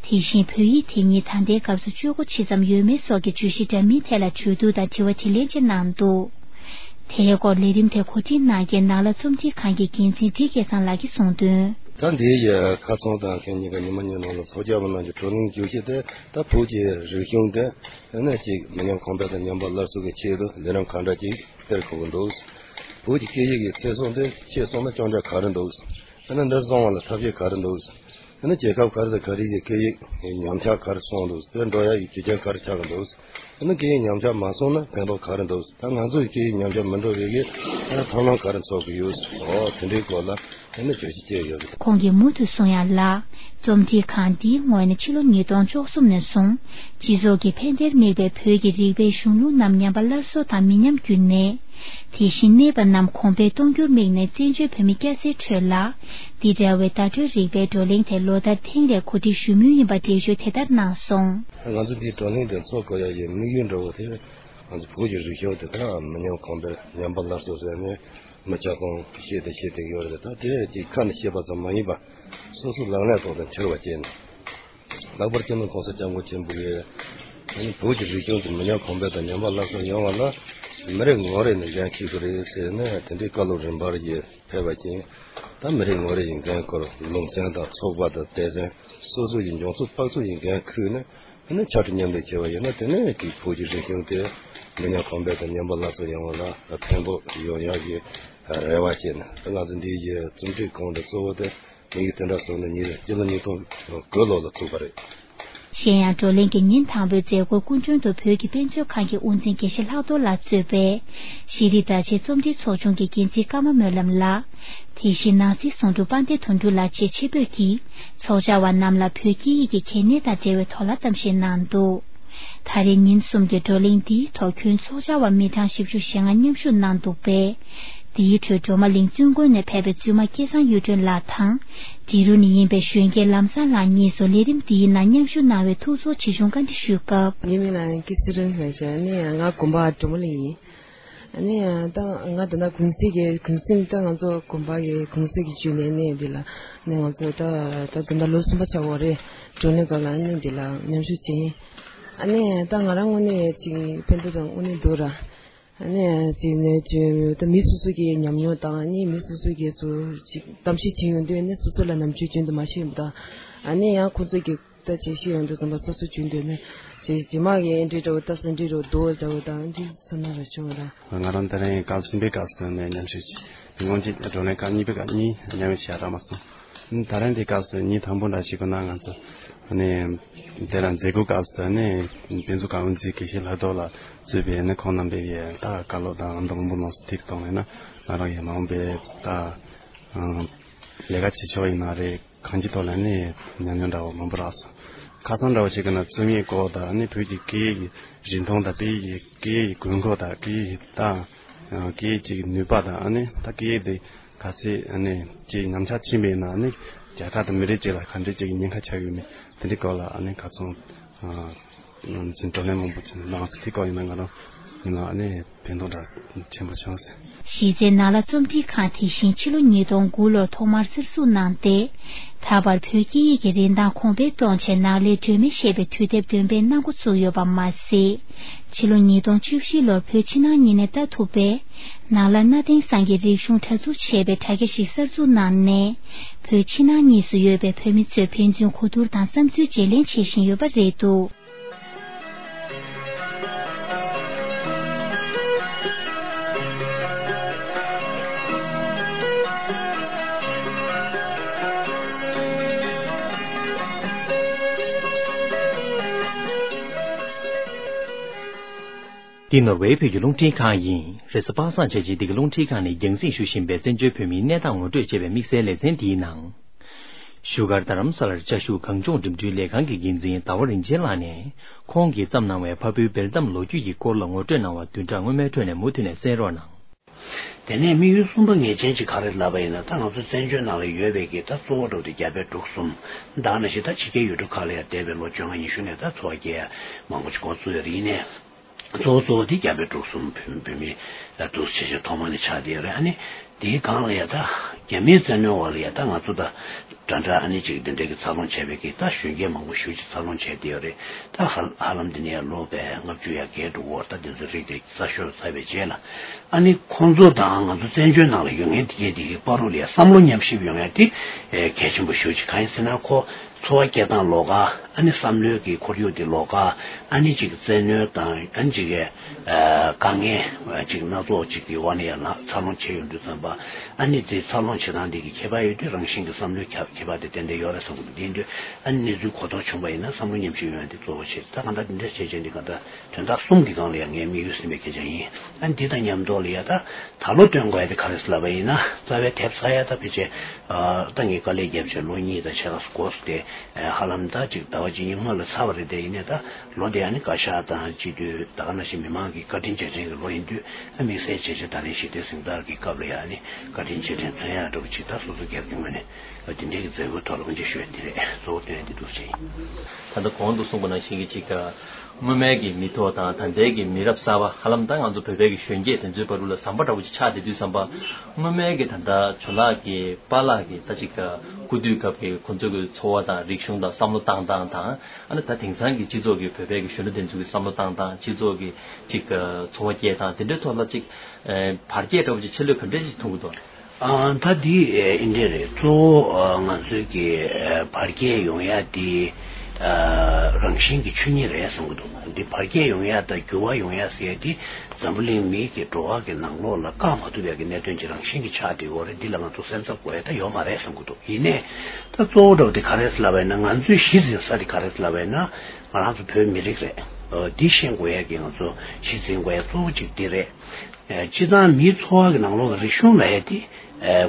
དེ་བཞིན་བོད་ཡིག་དེ་ཉིད་ད་ལྟའི་སྐབས་སུ་སྤྱོད་སྒོ་ཇི་ཙམ་ཡོད་མེད་སོགས་ཀྱི་བརྗོད་གཞི་འདྲ་མིན་ཐད་ལ་གྲོས་བསྡུར་དང་དྲི་བ་དྲིས་ལན་བཅས་གནང་འདུག་དེའི་སྐོར་ལས་རིམ་དེ་གོ་སྒྲིག་གནང་མཁན་ནགས་ལྷ་རྩོམ་སྒྲིག་ཁང་གི་འགན་འཛིན་བཀྲིས་སྐལ་བཟང་ལགས་ཀྱིས་གསུངས་དོན། ད་འདིའི་ཁ་ཚོན་དང་ཁེ་ཉིན་ག་ཉི་མ་ཉིན་ནང་ལ་ཚོགས་བཅར་བ་རྣམས་ཀྱི་བགྲོ་གླེང་བརྗོད་གཞི་དེ་ད་བོད་ཀྱི་རིག་གཞུང་དེ་ནི་ཅིག་མི་ཉམས་གོང་འཕེལ་དང་ཉམས་པ་སླར་གསོ་གི་ཆེད་དུ་ལས་རིམ་གང་འདྲ་ཅིག་སྤེལ་དགོས་ཀྱི་འདུག་བོད་ཀྱི་སྐད་ཡིག་གི་ཚེ་སྲོག་འདི་ཆད་སོང་ན་སྐྱོན་ཆ་ག་རེ་འདུག་ཨ་ནི་འདི་བཟང་བ་ལ་ཐབས་ཤེས་ག་རེ་འདུག་ཨ་ནི་རྒྱལ་ཁབ་ག་རེ་དང་ག་རེ་ཡི་སྐད་ཡིག་ཉམས་ཆག་ག་རེ་སོང་འདུག་དེ་འགྲོ་ཡ་ཡི་རྒྱུ་རྐྱེན་ག་རེ་ཆགས་ཀྱི་འདུག་ཨ་ནི་སྐད་ཡིག་ཉམས་ཆག་མ་སོང་ན་ཕན་ཐོགས་ག་རེ་འདུག་ད་ང་ཚོ་ཡི་སྐད་ཡིག་ཉམས་ཆག་མི་འགྲོ་བའི་གི་ཐབས་ལམ་ག་རེ་འཚོལ་གི་ཡོད། འོ་དེ་འདྲའི་སྐོར་ལ་ཨ་ནི་བརྗོད་གཞི་བཅས་ཡོད། ཁོང་གིས་མུ་མཐུད་གསུང་ཡ་ལ། རྩོམ་སྒྲིག་ཁང་འདིའི་ངོས་ནས་ཕྱི་ལོ་ཉིས་སྟོང་བཅུ་གསུམ་ནས་བཟུང་སྤྱི་ཚོགས་ཀྱི་ཕན་བདེར་དམིགས་པའི་བོད་ཀྱི་རིག་པའི་གཞུང་ལུགས་རྣམས་ཉམས་པ་སླར་གསོ་དང་མི་ཉམས་རྒྱུན་གནས། དེ་བཞིན་གནས་པ་རྣམས་གོང་འཕེལ་གཏོང་རྒྱུར་དམིགས་ནས་བཙན་བྱོལ་བོད་མི་སྐྱ་སེར་ཁྲོད་ལ། འདི་འདྲ་བའི་བརྡ་སྤྲོད་རིག་པའི་བགྲོ་གླེང་དེ་ལོ་ལྟར་ཐེངས་རེ་གོ་སྒྲིག་ཞུ་མུས་ཡིན་པ་འགྲེལ་བརྗོད་དེ་ལྟར་གནང་སོང་། ང་ཚོ་འདིའི་བགྲོ་གླེང་དེ་འཚོགས་དགོས་ཡ་ཡི་དམིགས་ཡུལ་འདྲ་བོ་དེ་ང་ཚོ་བོད་ཀྱི་རིག་གཞུང་དེ་དག་མི་ཉམས་གོང་འཕེལ་ཉམས་པ་སླར་གསོ་ཟེར་ནས་མི་ཆ་ཚང་བཤད་དེ་བཤད་དེ་ཡོད་རེད། ད་དེ་ཅིག་ཁ་ནས་བཤད་པ་ཙམ་མ་ཡིན་པ་སོ་སོ་ལག་ལེན་ཐོག་ཏུ་འཁྱོལ་བ་བྱས་ནས། ལྷག་པར་སྤྱི་ནོར་༸གོང་ས་༸སྐྱབས་མགོན་ཆེན་པོ་གིས་བོད་ཀྱི་རིག་གཞུང་དེ་མི་ཉམས་གོང་འཕེལ་དང་ཉམས་པ་སླར་གསོ་ཡོང་བ་ལ་མི་རེ་ངོ་རེ་ནས་འགན་འཁྱེར་དགོས་རེད་ཟེར་ནས་དེ་འདྲའི་བཀའ་སློབ་རིམ་པར་ཡིས་ཕེབས་པ་བཞིན། ད་མི་རེ་ངོ་རེ་ཡི་འགན་ཁུར་ལུང་ཚན་དང་ཚོགས་པ་དང་སྡེ་ཚན་སོ་སོ་ཡི་འབྱུང་རྩོལ་དཔག་ཚོད་ཡི་འགན་ཁུར་ནས་ཨ་ནི་ཕྱར་གྲུ་མཉམ་འདེགས་བྱས་པ་ཡིན་ན། དེ་ནས་ཀྱི་བོད་ཀྱི་རིག་གཞུང་དེ་མི་ཉམས་གོང་འཕེལ་དང་ཉམས་པ་སླར་གསོ་ཡོང་བ་ལ་ཕན་ཐོགས་ཡོང་ཡག་གི་རེ་བ་བྱས་ནས། ད་ང་ཚོ་འདི་ཡི་རྩོམ་སྒྲིག་ཁང་དེ་གཙོ་བོ་དེ་དམིགས་ཡུལ་དེ་འདྲ་བཟུང་ནས་ཉིན་སྤྱི་ལོ་ཉིས་སྟོང་དགུ་ལོ་ལ་བཙུགས་པ་རེད། གཞན་ཡང་བགྲོ་གླེང་གི་ཉིན་དང་པོའི་མཛད་སྒོར་སྐུ་མགྲོན་དུ་བོད་ཀྱི་དཔེ་མཛོད་ཁང་གི་དབུ་འཛིན་དགེ་བཤེས་ལྷག་རྡོར་ལགས་གཙོས་པའི་ཤེས་རིག་བརྡ་ཆད་རྩོམ་སྒྲིག་ཚོགས་ཆུང་གི་འགན་འཛིན་ཀརྨ་སྨོན་ལམ་ལགས། དེ་བཞིན་ནང་སྲིད་ཟུང་དྲུང་དཔལ་ལྡན་དོན་གྲུབ་ལགས་བཅས་ཆེད་ཕེབས་ཀྱིས་ཚོགས་བཅར་བ་རྣམས་ལ་བོད་སྐད་ཡིག་གི་གལ་གནད་དང་འབྲེལ་བའི་ཐོག་ལ་གཏམ་བཤད་གནང་འདུག་ད་རེས་ཉིན་གསུམ་གྱི་བགྲོ་གླེང་འདིའི་ཐོག་ཁྱོན་ཚོགས་བཅར་བ་མི་གྲངས་བཞི་བཅུ་ཞེ་ལྔ་མཉམ་ཞུགས་གནང་འདུག་པས། འདིའི་ཁྲོད་སྒྲོལ་མ་གླིང་བཙུན་དགོན་ནས་ཕེབས་པའི་བཙུན་མ་སྐལ་བཟང་གཡུ་སྒྲོན་ལགས་དང་། འབྲི་རུ་ནས་ཡིན་པའི་གཞོན་སྐྱེས་ལམ་བཟང་ལགས་གཉིས་སུ་ལས་རིམ་འདིའི་ནང་མཉམ་ཞུགས་གནང་བའི་ཐུགས་ཚོར་ཇི་བྱུང་བཀའ་འདྲི་ཞུས་སྐབས། ངའི་མིང་ལ་སྐལ་ཚེ་རིང་ལགས་ཟེར། ཨ་ནི་ང་དགོན་པ་སྒྲོལ་མ་གླིང་ཡིན། ཨ་ནི་ད་ང་ད་ལྟ་གུང་སེང་གི་གུང་སེང་ད་ང་ཚོ་དགོན་པ་གི་གུང་སེང་གི་བརྒྱུད་ནས་ནི་འདི་ལ་ནི་ང་ཚོ་ད་ད་ད་ལྟ་ལོ་གསུམ་པ་ཆགས་ཡོད་རེད། བགྲོ་གླེང་སྐབས་ལ་ནི་འདི་ལ་མཉམ་ཞུགས་བྱས་ཡིན། ཨ་ནི་ད་ང་རང་དངོས་གནས་ཅིག་ཕན་ཐོགས་དང་དངོས་གནས་འདུག་ར། ཨ་ནི་ཅིག་ནས་ཅིག་ད་མི་སོ་སོ་གི་ཉམས་མྱོང་དང་ནི་མི་སོ་སོ་གི་སུ་ཅིག་གཏམ་བཤད་བྱེད་ཡོང་དུས་ནི་སོ་སོ་ལ་ནམ་རྒྱུན་རྒྱུན་དུ་མ་བཤད་པ་དང་། ཨ་ནི་ཡང་ཁོང་ཚོ་གི་ད་ཅིག་ཤེས་ཡོང་དུས་ཙམ་པ་སོ་སོ་རྒྱུན་དུ་ནི་ཅིག་རྗེས་མ་གི་འདྲི་འདྲ་བོ་ད་སུ་འདྲི་རུ་རྡོ་འདྲ་བོ་དང་འདྲི་ཚོ་ན་ར་བྱུང་ར། ང་རང་ད་རིང་སྐབས་གསུམ་པའི་སྐབས་སུ་ནས་མཉམ་ཞུགས་བྱས། མི་ངོམ་གྱི་བགྲོ་གླེང་སྐབས་གཉིས་པའི་སྐབས་གཉིས་མཉམ་ཞུགས་བྱས་རག་མ་སོང་། ད་རིང་འདི་སྐབས་སུ་ཉིན་དང་པོ་འདྲ་ཞིག་གི་ནང་ང་ཚོ་ནས་དེ་ལ་མཛད་སྒོ་སྐབས་སུ་ནས་དཔེ་མཛོད་ཁང་དབུ་འཛིན་དགེ་བཤེས་ལྷག་རྡོར་ལགས་གཙོས་པའི་ནི་ཁོང་རྣམ་པས་ཡ་ད་བཀའ་སློབ་དང་མདོ་སྔོན་པོ་ནང་སུ་ཐིག་གཏོང་ལེ་ན་ང་རང་ཡ་མ་འོངས་པའི་ད་ལས་ཀ་བྱེད་ཆོག་ཡིན་ན་རེད། གང་ཅིའི་ཐོག་ལ་ནི་ཉམས་མྱོང་འདྲ་བོ་མང་པོ་རག་སོང་། ཁ་སང་འདྲ་བོ་ཞིག་གི་ནང་རྩོམ་ཡིག་སྐོར་དང་ནི་བོད་ཀྱི་སྐད་ཡིག་གི་རིན་ཐང་དང་དཔེ་ཡིག་གི་སྐད་ཡིག་གི་དགོས་མཁོ་དང་སྐད་ཡིག་དང་སྐད་ཡིག་གི་ནུས་པ་དང་ནི་ད་སྐད་ཡིག་དེ་ག་ཚད་ནི་ཅིག་ཉམས་ཆག་ཕྱིན་པ་ཡིན་ན་ནི་རྒྱལ་ཁབ་དང་མི་རིགས་ཅིག་ལ་ག་འདྲ་ཅིག་གི་ཉེན་ཁ་ཆགས་ཡོད་མེད་དེ་འདྲའི་སྐོར་ལ་ནི་ཁ་ཚོན། ང་ཚོས་བགྲོ་གླེང་མང་པོ་བྱས་ནས་ནང་སེ་དེ་སྐོར་ཡིན་ན་ང་རང་ཡིན་ན་ཨ་ནི་ཕན་ཐོགས་འདྲ་ཆེན་པོ་བྱུང་སོང་། གཞི་རྩའི་ནགས་ལྷ་རྩོམ་སྒྲིག་ཁང་དེ་བཞིན་ཕྱི་ལོ་ཉིས་སྟོང་དགུ་ལོར་ཐོག་མར་གསར་འཛུགས་གནང་སྟེ། ད་བར་བོད་སྐད་ཡིག་གི་རིན་ཐང་གོང་འཕེལ་གཏོང་ཆེད་ནགས་ལས་སྒྲོན་མེ་ཞེས་པའི་དུས་དེབ་འདོན་སྤེལ་གནང་འགོ་བཙུགས་ཡོད་པ་མ་ཟད། ཕྱི་ལོ་ཉིས་སྟོང་བཅུ་བཞི་ལོར་བོད་ཕྱི་ནང་གཉིས་ནས་ལྟ་ཐུབ་པའི་ནགས་ལྷ་གནའ་དེང་སང་གི་རིག་གཞུང་དྲ་ཚུགས་ཞེས་པའི་དྲ་རྒྱ་ཞིག་གསར་འཛུགས་གནང་ནས། བོད་ཕྱི་ནང་གཉིས་སུ་ཡོད་པའི་བོད་མི་ཚོས་ཕན་ཚུན་གོ་བསྡུར་དང་བསམ་ཚུལ་བརྗེ་ལེན་བྱེད་བཞིན་ཡོད་པ་རེད་འདུག། འདི་ནོར་ཝེ་བོད་ཀྱི་རླུང་འཕྲིན་ཁང་ཡིན། རེས་གཟའ་པ་སངས་བྱས་རྗེས་འདི་ག་རླུང་འཕྲིན་ཁང་ནས་རྒྱང་སྲིང་ཞུ་བཞིན་པའི་བཙན་བྱོལ་བོད་མིའི་གནས་སྟངས་ངོ་སྤྲོད་ཅེས་པའི་དམིགས་བསལ་ལེ་ཚན་འདིའི་ནང་། བཞུགས་སྒར་རྡ་རམ་ས་ལར་བཅའ་བཞུགས་གངས་ལྗོངས་འགྲིམ་འགྲུལ་ལས་ཁང་གི་འགན་འཛིན་ཟླ་བ་རིན་ཆེན་ལགས་ནས། ཁོང་གིས་བརྩམས་གནང་བའི་ཕ་བུའི་སྦེལ་ཏམ་ལོ་རྒྱུས་ཀྱི་སྐོར་ལ་ངོ་སྤྲོད་གནང་བ་བདུན་ཕྲག་སྔོན་མའི་ཁྲོད་ནས་མུ་མཐུད་ནས་གསན་རོགས་གནང་། དེ་ནས་དམིགས་ཡུལ་གསུམ་པ་ངེས་ཅན་གཅིག་ག་རེ་ལབ་པ་ཡིན་ན། ད་ང་ཚོ་བཙན་བྱོལ་ནང་ལ་ཡོད་པའི་གི་ད་གཙོ་བོ་འགྲོ་དེ་རྒྱ་བལ་འབྲུག་གསུམ། ད་ནང་བཞིན་ད་ཕྱི་རྒྱལ་ཡུལ་གྲུ་ཁག་ལ་ཡང་འདས་པའི་ལོ་བཅོ་ལྔ་ཉི་ཤུ་ནས་ད་འཚོ་བ་སྐྱེལ་ཡ་མང་པོ་ཅིག་འགོ་བཙུགས་ཡོད་རེད། ཡིན་ནའི། གཙོ་བོ་གཙོ་བོ་དེ་རྒྱ་བལ་འབྲུག་གསུམ་བོད་བོད་མི་ལ་འདུག་ཆེ་ཆེ་ཐོག་མ་ནས་ཆགས་བསྡད་ཡོད་རེད། ཨ་ནི་དེའི་སྒང་ལ་ཡ་ད་རྒྱ་མིའི་བཙན་གནོན་འོག་ལ་ཡ་ད་ང་ཚོ་ད་འདྲ་འདྲ་ཨ་ནི་ཅིག་འདི་འདྲའི་གི་འཚར་ལོངས་བྱས་པའི་གི་ད་གཞོན་སྐྱེས་མང་པོ་ཞེ་ཅིག་འཚར་ལོངས་བྱས་བསྡད་ཡོད་རེད། ད་ཧ་ཧ་ལམ་འདི་ནས་ལོ་བས་ལྔ་བཅུ་ཡར་བརྒལ་འགྲོ་གི་ཡོད་རེད། ད་འདི་ཚོའི་རིགས་དེ་གསར་ཤོས་ཚར་བའི་རྗེས་ལ་ཨ་ནི་ཁོང་ཚོ་དང་ང་ཚོ་བཙན་བྱོལ་ནང་ལ་ཡོད་མཁན་དེ་གས་དེ་གི་བར་དུ་ལ་ཡ་བསམ་བློ་མཉམ་གཤིབ་ཡོང་ཡ་དེ་གལ་ཆེན་པོ་ཞེ་ཅིག་གང་ཡིན་ཟེར་ན་ཁོ། འཚོ་བ་སྐྱེལ་སྟངས་ལོགས་ཀ། ཨ་ནི་བསམ་བློའི་གི་ཁོར་ཡུག་དེ་ལོགས་ཀ། ཨ་ནི་ཅིག་བཙན་གནོན་དང་ཨ་ནི་ཅིག་གི་ཨ་དཀའ་ངལ་ཅིག་སྣ་ཚོགས་ཅིག་གི་འོག་ནས་ཡང་ལ་འཚར་ལོངས་བྱས་ཡོང་དུས་ཙམ་པ། ཨ་ནི་དེ་འཚར་ལོངས་བྱེད་སྟངས་དེ་གི་ཁྱད་པར་ཡོད་དུས་རང་བཞིན་གྱི་བསམ་བློའི་ཁྱད་ཁྱད་པར་དེ་ཏན་ཏན་ཡོད་རེད་བསམ་གི་འདུག་དེ་ཡིན་དུས་ཨ་ནི་གནས་ཚུལ་གོ་རྟོགས་བྱུང་བ་ཡིན་ན་བསམ་བློ་ཉམས་ཞིབ་ཡོང་ཡ་དེ་གཙོ་བོ་བྱེད། ད་གང་ལྟར་དེ་འདྲ་བྱས་བྱས་འདི་གང་ལྟར་དོན་དག་གསུམ་གྱི་སྒང་ལ་ཡང་ངའི་དམིགས་ཡུལ་ཟིན་པའི་སྐད་ཆ་ཡིན། ཨ་ནི་འདི་དང་མཉམ་དུ་ལ་ཡ་ད། ད་ལོ་སྟོན་དགོས་ཡ་དེ་ག་རེ་ཟེར་ལབ་པ་ཡིན་ན། རྩ་བའི་དེབ་གསར་ཡ་ད་ཕལ་ཆེར་ཨ་ད་ངས་དཀའ་ལས་བརྒྱབ་བྱས་ལོ་གཉིས་དང་ཕྱེད་ཀ་འགོར་སོང་སྟེ། ཧ་ལམ་ད་ཅིག་ཟླ་བ་གཅིག་གཉིས་སྔོན་ལ་ཚར་བ་རེད། དེ་ཡིན་ནའི་ད་ལོ་དེ་ཨ་ནི་བཀའ་ཤག་དང་སྤྱི་འཐུས་ད་ག་ནང་བཞིན་མི་མང་གི་བཀའ་དྲིན་རྗེས་དྲན་གྱི་ལོ་ཡིན་དུས། ཨ་དམིགས་བསལ་བྱས་བྱས་ད་རིང་ཞི་བདེའི་གཟེངས་རྟགས་ཀྱི་སྐབས་ལ་ཡ་ཨ་ནི་བཀའ་དྲིན་རྗེས་དྲན་མཚོན་ཡ་འདྲ་བོ་ཅིག་ད་སོ་སོ་སྒེར་གྱི་ངོས་ནས་དེ་འདྲའི་གི་མཛད་སྒོའི་ཐོག་ལ་དབུ་འབྱེད་ཞུ་ཡ་འདི་རེད། གཙོ་བོ་སྟོན་ཡ་འདི་འདུག་ཅེས་ཡིན། ད་ལྟ་གོང་དུ་གསུངས་པ་ནང་བཞིན་གྱི་ཅིག་སྔོན་མའི་གི་མི་ཐོག་དང་ད་ལྟའི་གི་མི་རབས་གསར་པ་ཧ་ལམ་ད་ང་ཚོ་བོད་པའི་གི་གཞོན་སྐྱེས་དེ་ཚོའི་བར་དུ་ལ་ཟམ་པ་འདྲ་བོ་ཅིག་ཆགས་བསྡད་དུས་ཙམ་པ། སྔོན་མའི་གི་ད་ལྟ་ཇོ་ལགས་ཀྱི་པཱ་ལགས་ཀྱི་ད་ཅིག་སྐུ་དུས་སྐབས་ཀྱི་ཁོང་ཚོའི་གི་འཚོ་བ་དང་རིག་གཞུང་དང་བསམ་བློ་བཏང་སྟངས་དང་། ཨ་ནི་ད་དེང་སང་གི་སྤྱི་ཚོགས་ཀྱི་བོད་པའི་གི་གཞོན་ནུ་དེ་ཚོའི་གི་བསམ་བློ་བཏང་སྟངས། སྤྱི་ཚོགས་ཀྱི་ཅིག་འཚོ་བ་སྐྱེལ་སྟངས་དེ་འདྲའི་ཐོག་ལ་ཅིག་བར་ཁྱད་འདྲ་བོ་ཅིག་ཆེ་ལོས་ག་འདྲ་ཅིག་མཐོང་གི་འདུག་ཨ། ད་འདི་ཨེ་འདི་འདྲ་རེད། གཙོ་བོ་ཨ་ང་ཚོའི་གི་ཨ་བར་ཁྱད་ཡོང་ཡ་དེ་ཨ་རང་བཞིན་གྱི་ཆོས་ཉིད་རེད་བསམ་གི་འདུག་འདི་བར་ཁྱད་ཡོང་ཡ་དང་འགྱུར་བ་ཡོང་ཡ་ཟེར་ཡ་དེ་འཛམ་བུ་གླིང་མིའི་གི་འགྲོ་བ་གི་ནང་ལོགས་ལ་བཀག་མ་ཐུབ་ཡ་གི་གནད་དོན་ཅིག་རང་བཞིན་གྱི་ཆགས་བསྡད་ཡོད་རེད། འདི་ལ་ང་ཚོ་སེམས་འཚབ་དགོས་ཡ་ད་ཡོད་མ་རེད་བསམ་གི་འདུག་ཡིན་ནའི་ད་གཙོ་བོ་འདྲ་བོ་དེ་ག་རེད་ཟེར་ལབ་པ་ཡིན་ན། ང་ཚོའི་གཞི་འཛིན་ས་དེ་ག་རེད་ཟེར་ལབ་པ་ཡིན་ན། ང་རང་ཚོ་བོད་མི་རིགས་རེད། འདི་ཤེས་དགོས་ཡ་གི་ང་ཚོ་གཞི་འཛིན་དགོས་ཡ་གཙོ་བོ་གཅིག་འདི་རེད། སྤྱིར་བཏང་མིའི་འཚོ་བ་གི་ནང་ལོགས་ཀྱི་རིག་གཞུང་ལབ་ཡ་དེ་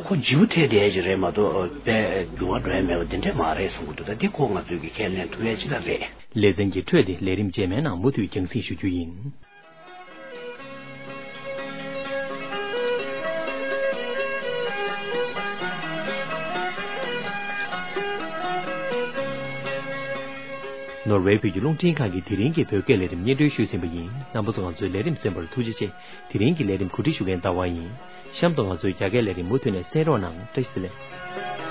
ཁོ་བརྗེ་པོ་ཐེབས་བསྡད་ཡ་ཅིག་རེད་མ་གཏོགས་དཔེ་འགྱུར་བ་འགྲོ་ཡ་མེད་པ་འདི་འདྲས་མ་རེད་བསམ་གྱི་འདུག་ད་འདི་ཁོ་ང་ཚོས་ཀྱི་ཁས་ལེན་ཐུབ་ཡ་ཅིག་ད་རེད། ལེ་ཚན་གྱི་འཕྲོས་དེ་ལས་རིམ་རྗེས་མའི་ནང་མུ་མཐུད་རྒྱང་སྲིང་ཞུ་རྒྱུ་ཡིན། ནོར་ཝེ་བོད་ཀྱི་རླུང་འཕྲིན་ཁང་གི་དེ་རིང་གི་བོད་སྐད་ལས་རིམ་སྙན་སྒྲོན་ཞུས་ཟིན་པ་ཡིན། རྣམ་པ་ཚོ་ང་ཚོའི་ལས་རིམ་གསན་པར་ཐུགས་རྗེ་ཆེ། དེ་རིང་གི་ལས་རིམ་གོ་སྒྲིག་ཞུ་མཁན་ཟླ་བ་ཡིན། གཤམ་དུ་ང་ཚོའི་རྒྱ་སྐད་ལས་རིམ་མུ་མཐུད་ནས་གསན་རོགས་གནང་། བཀྲ་ཤིས་བདེ་ལེགས།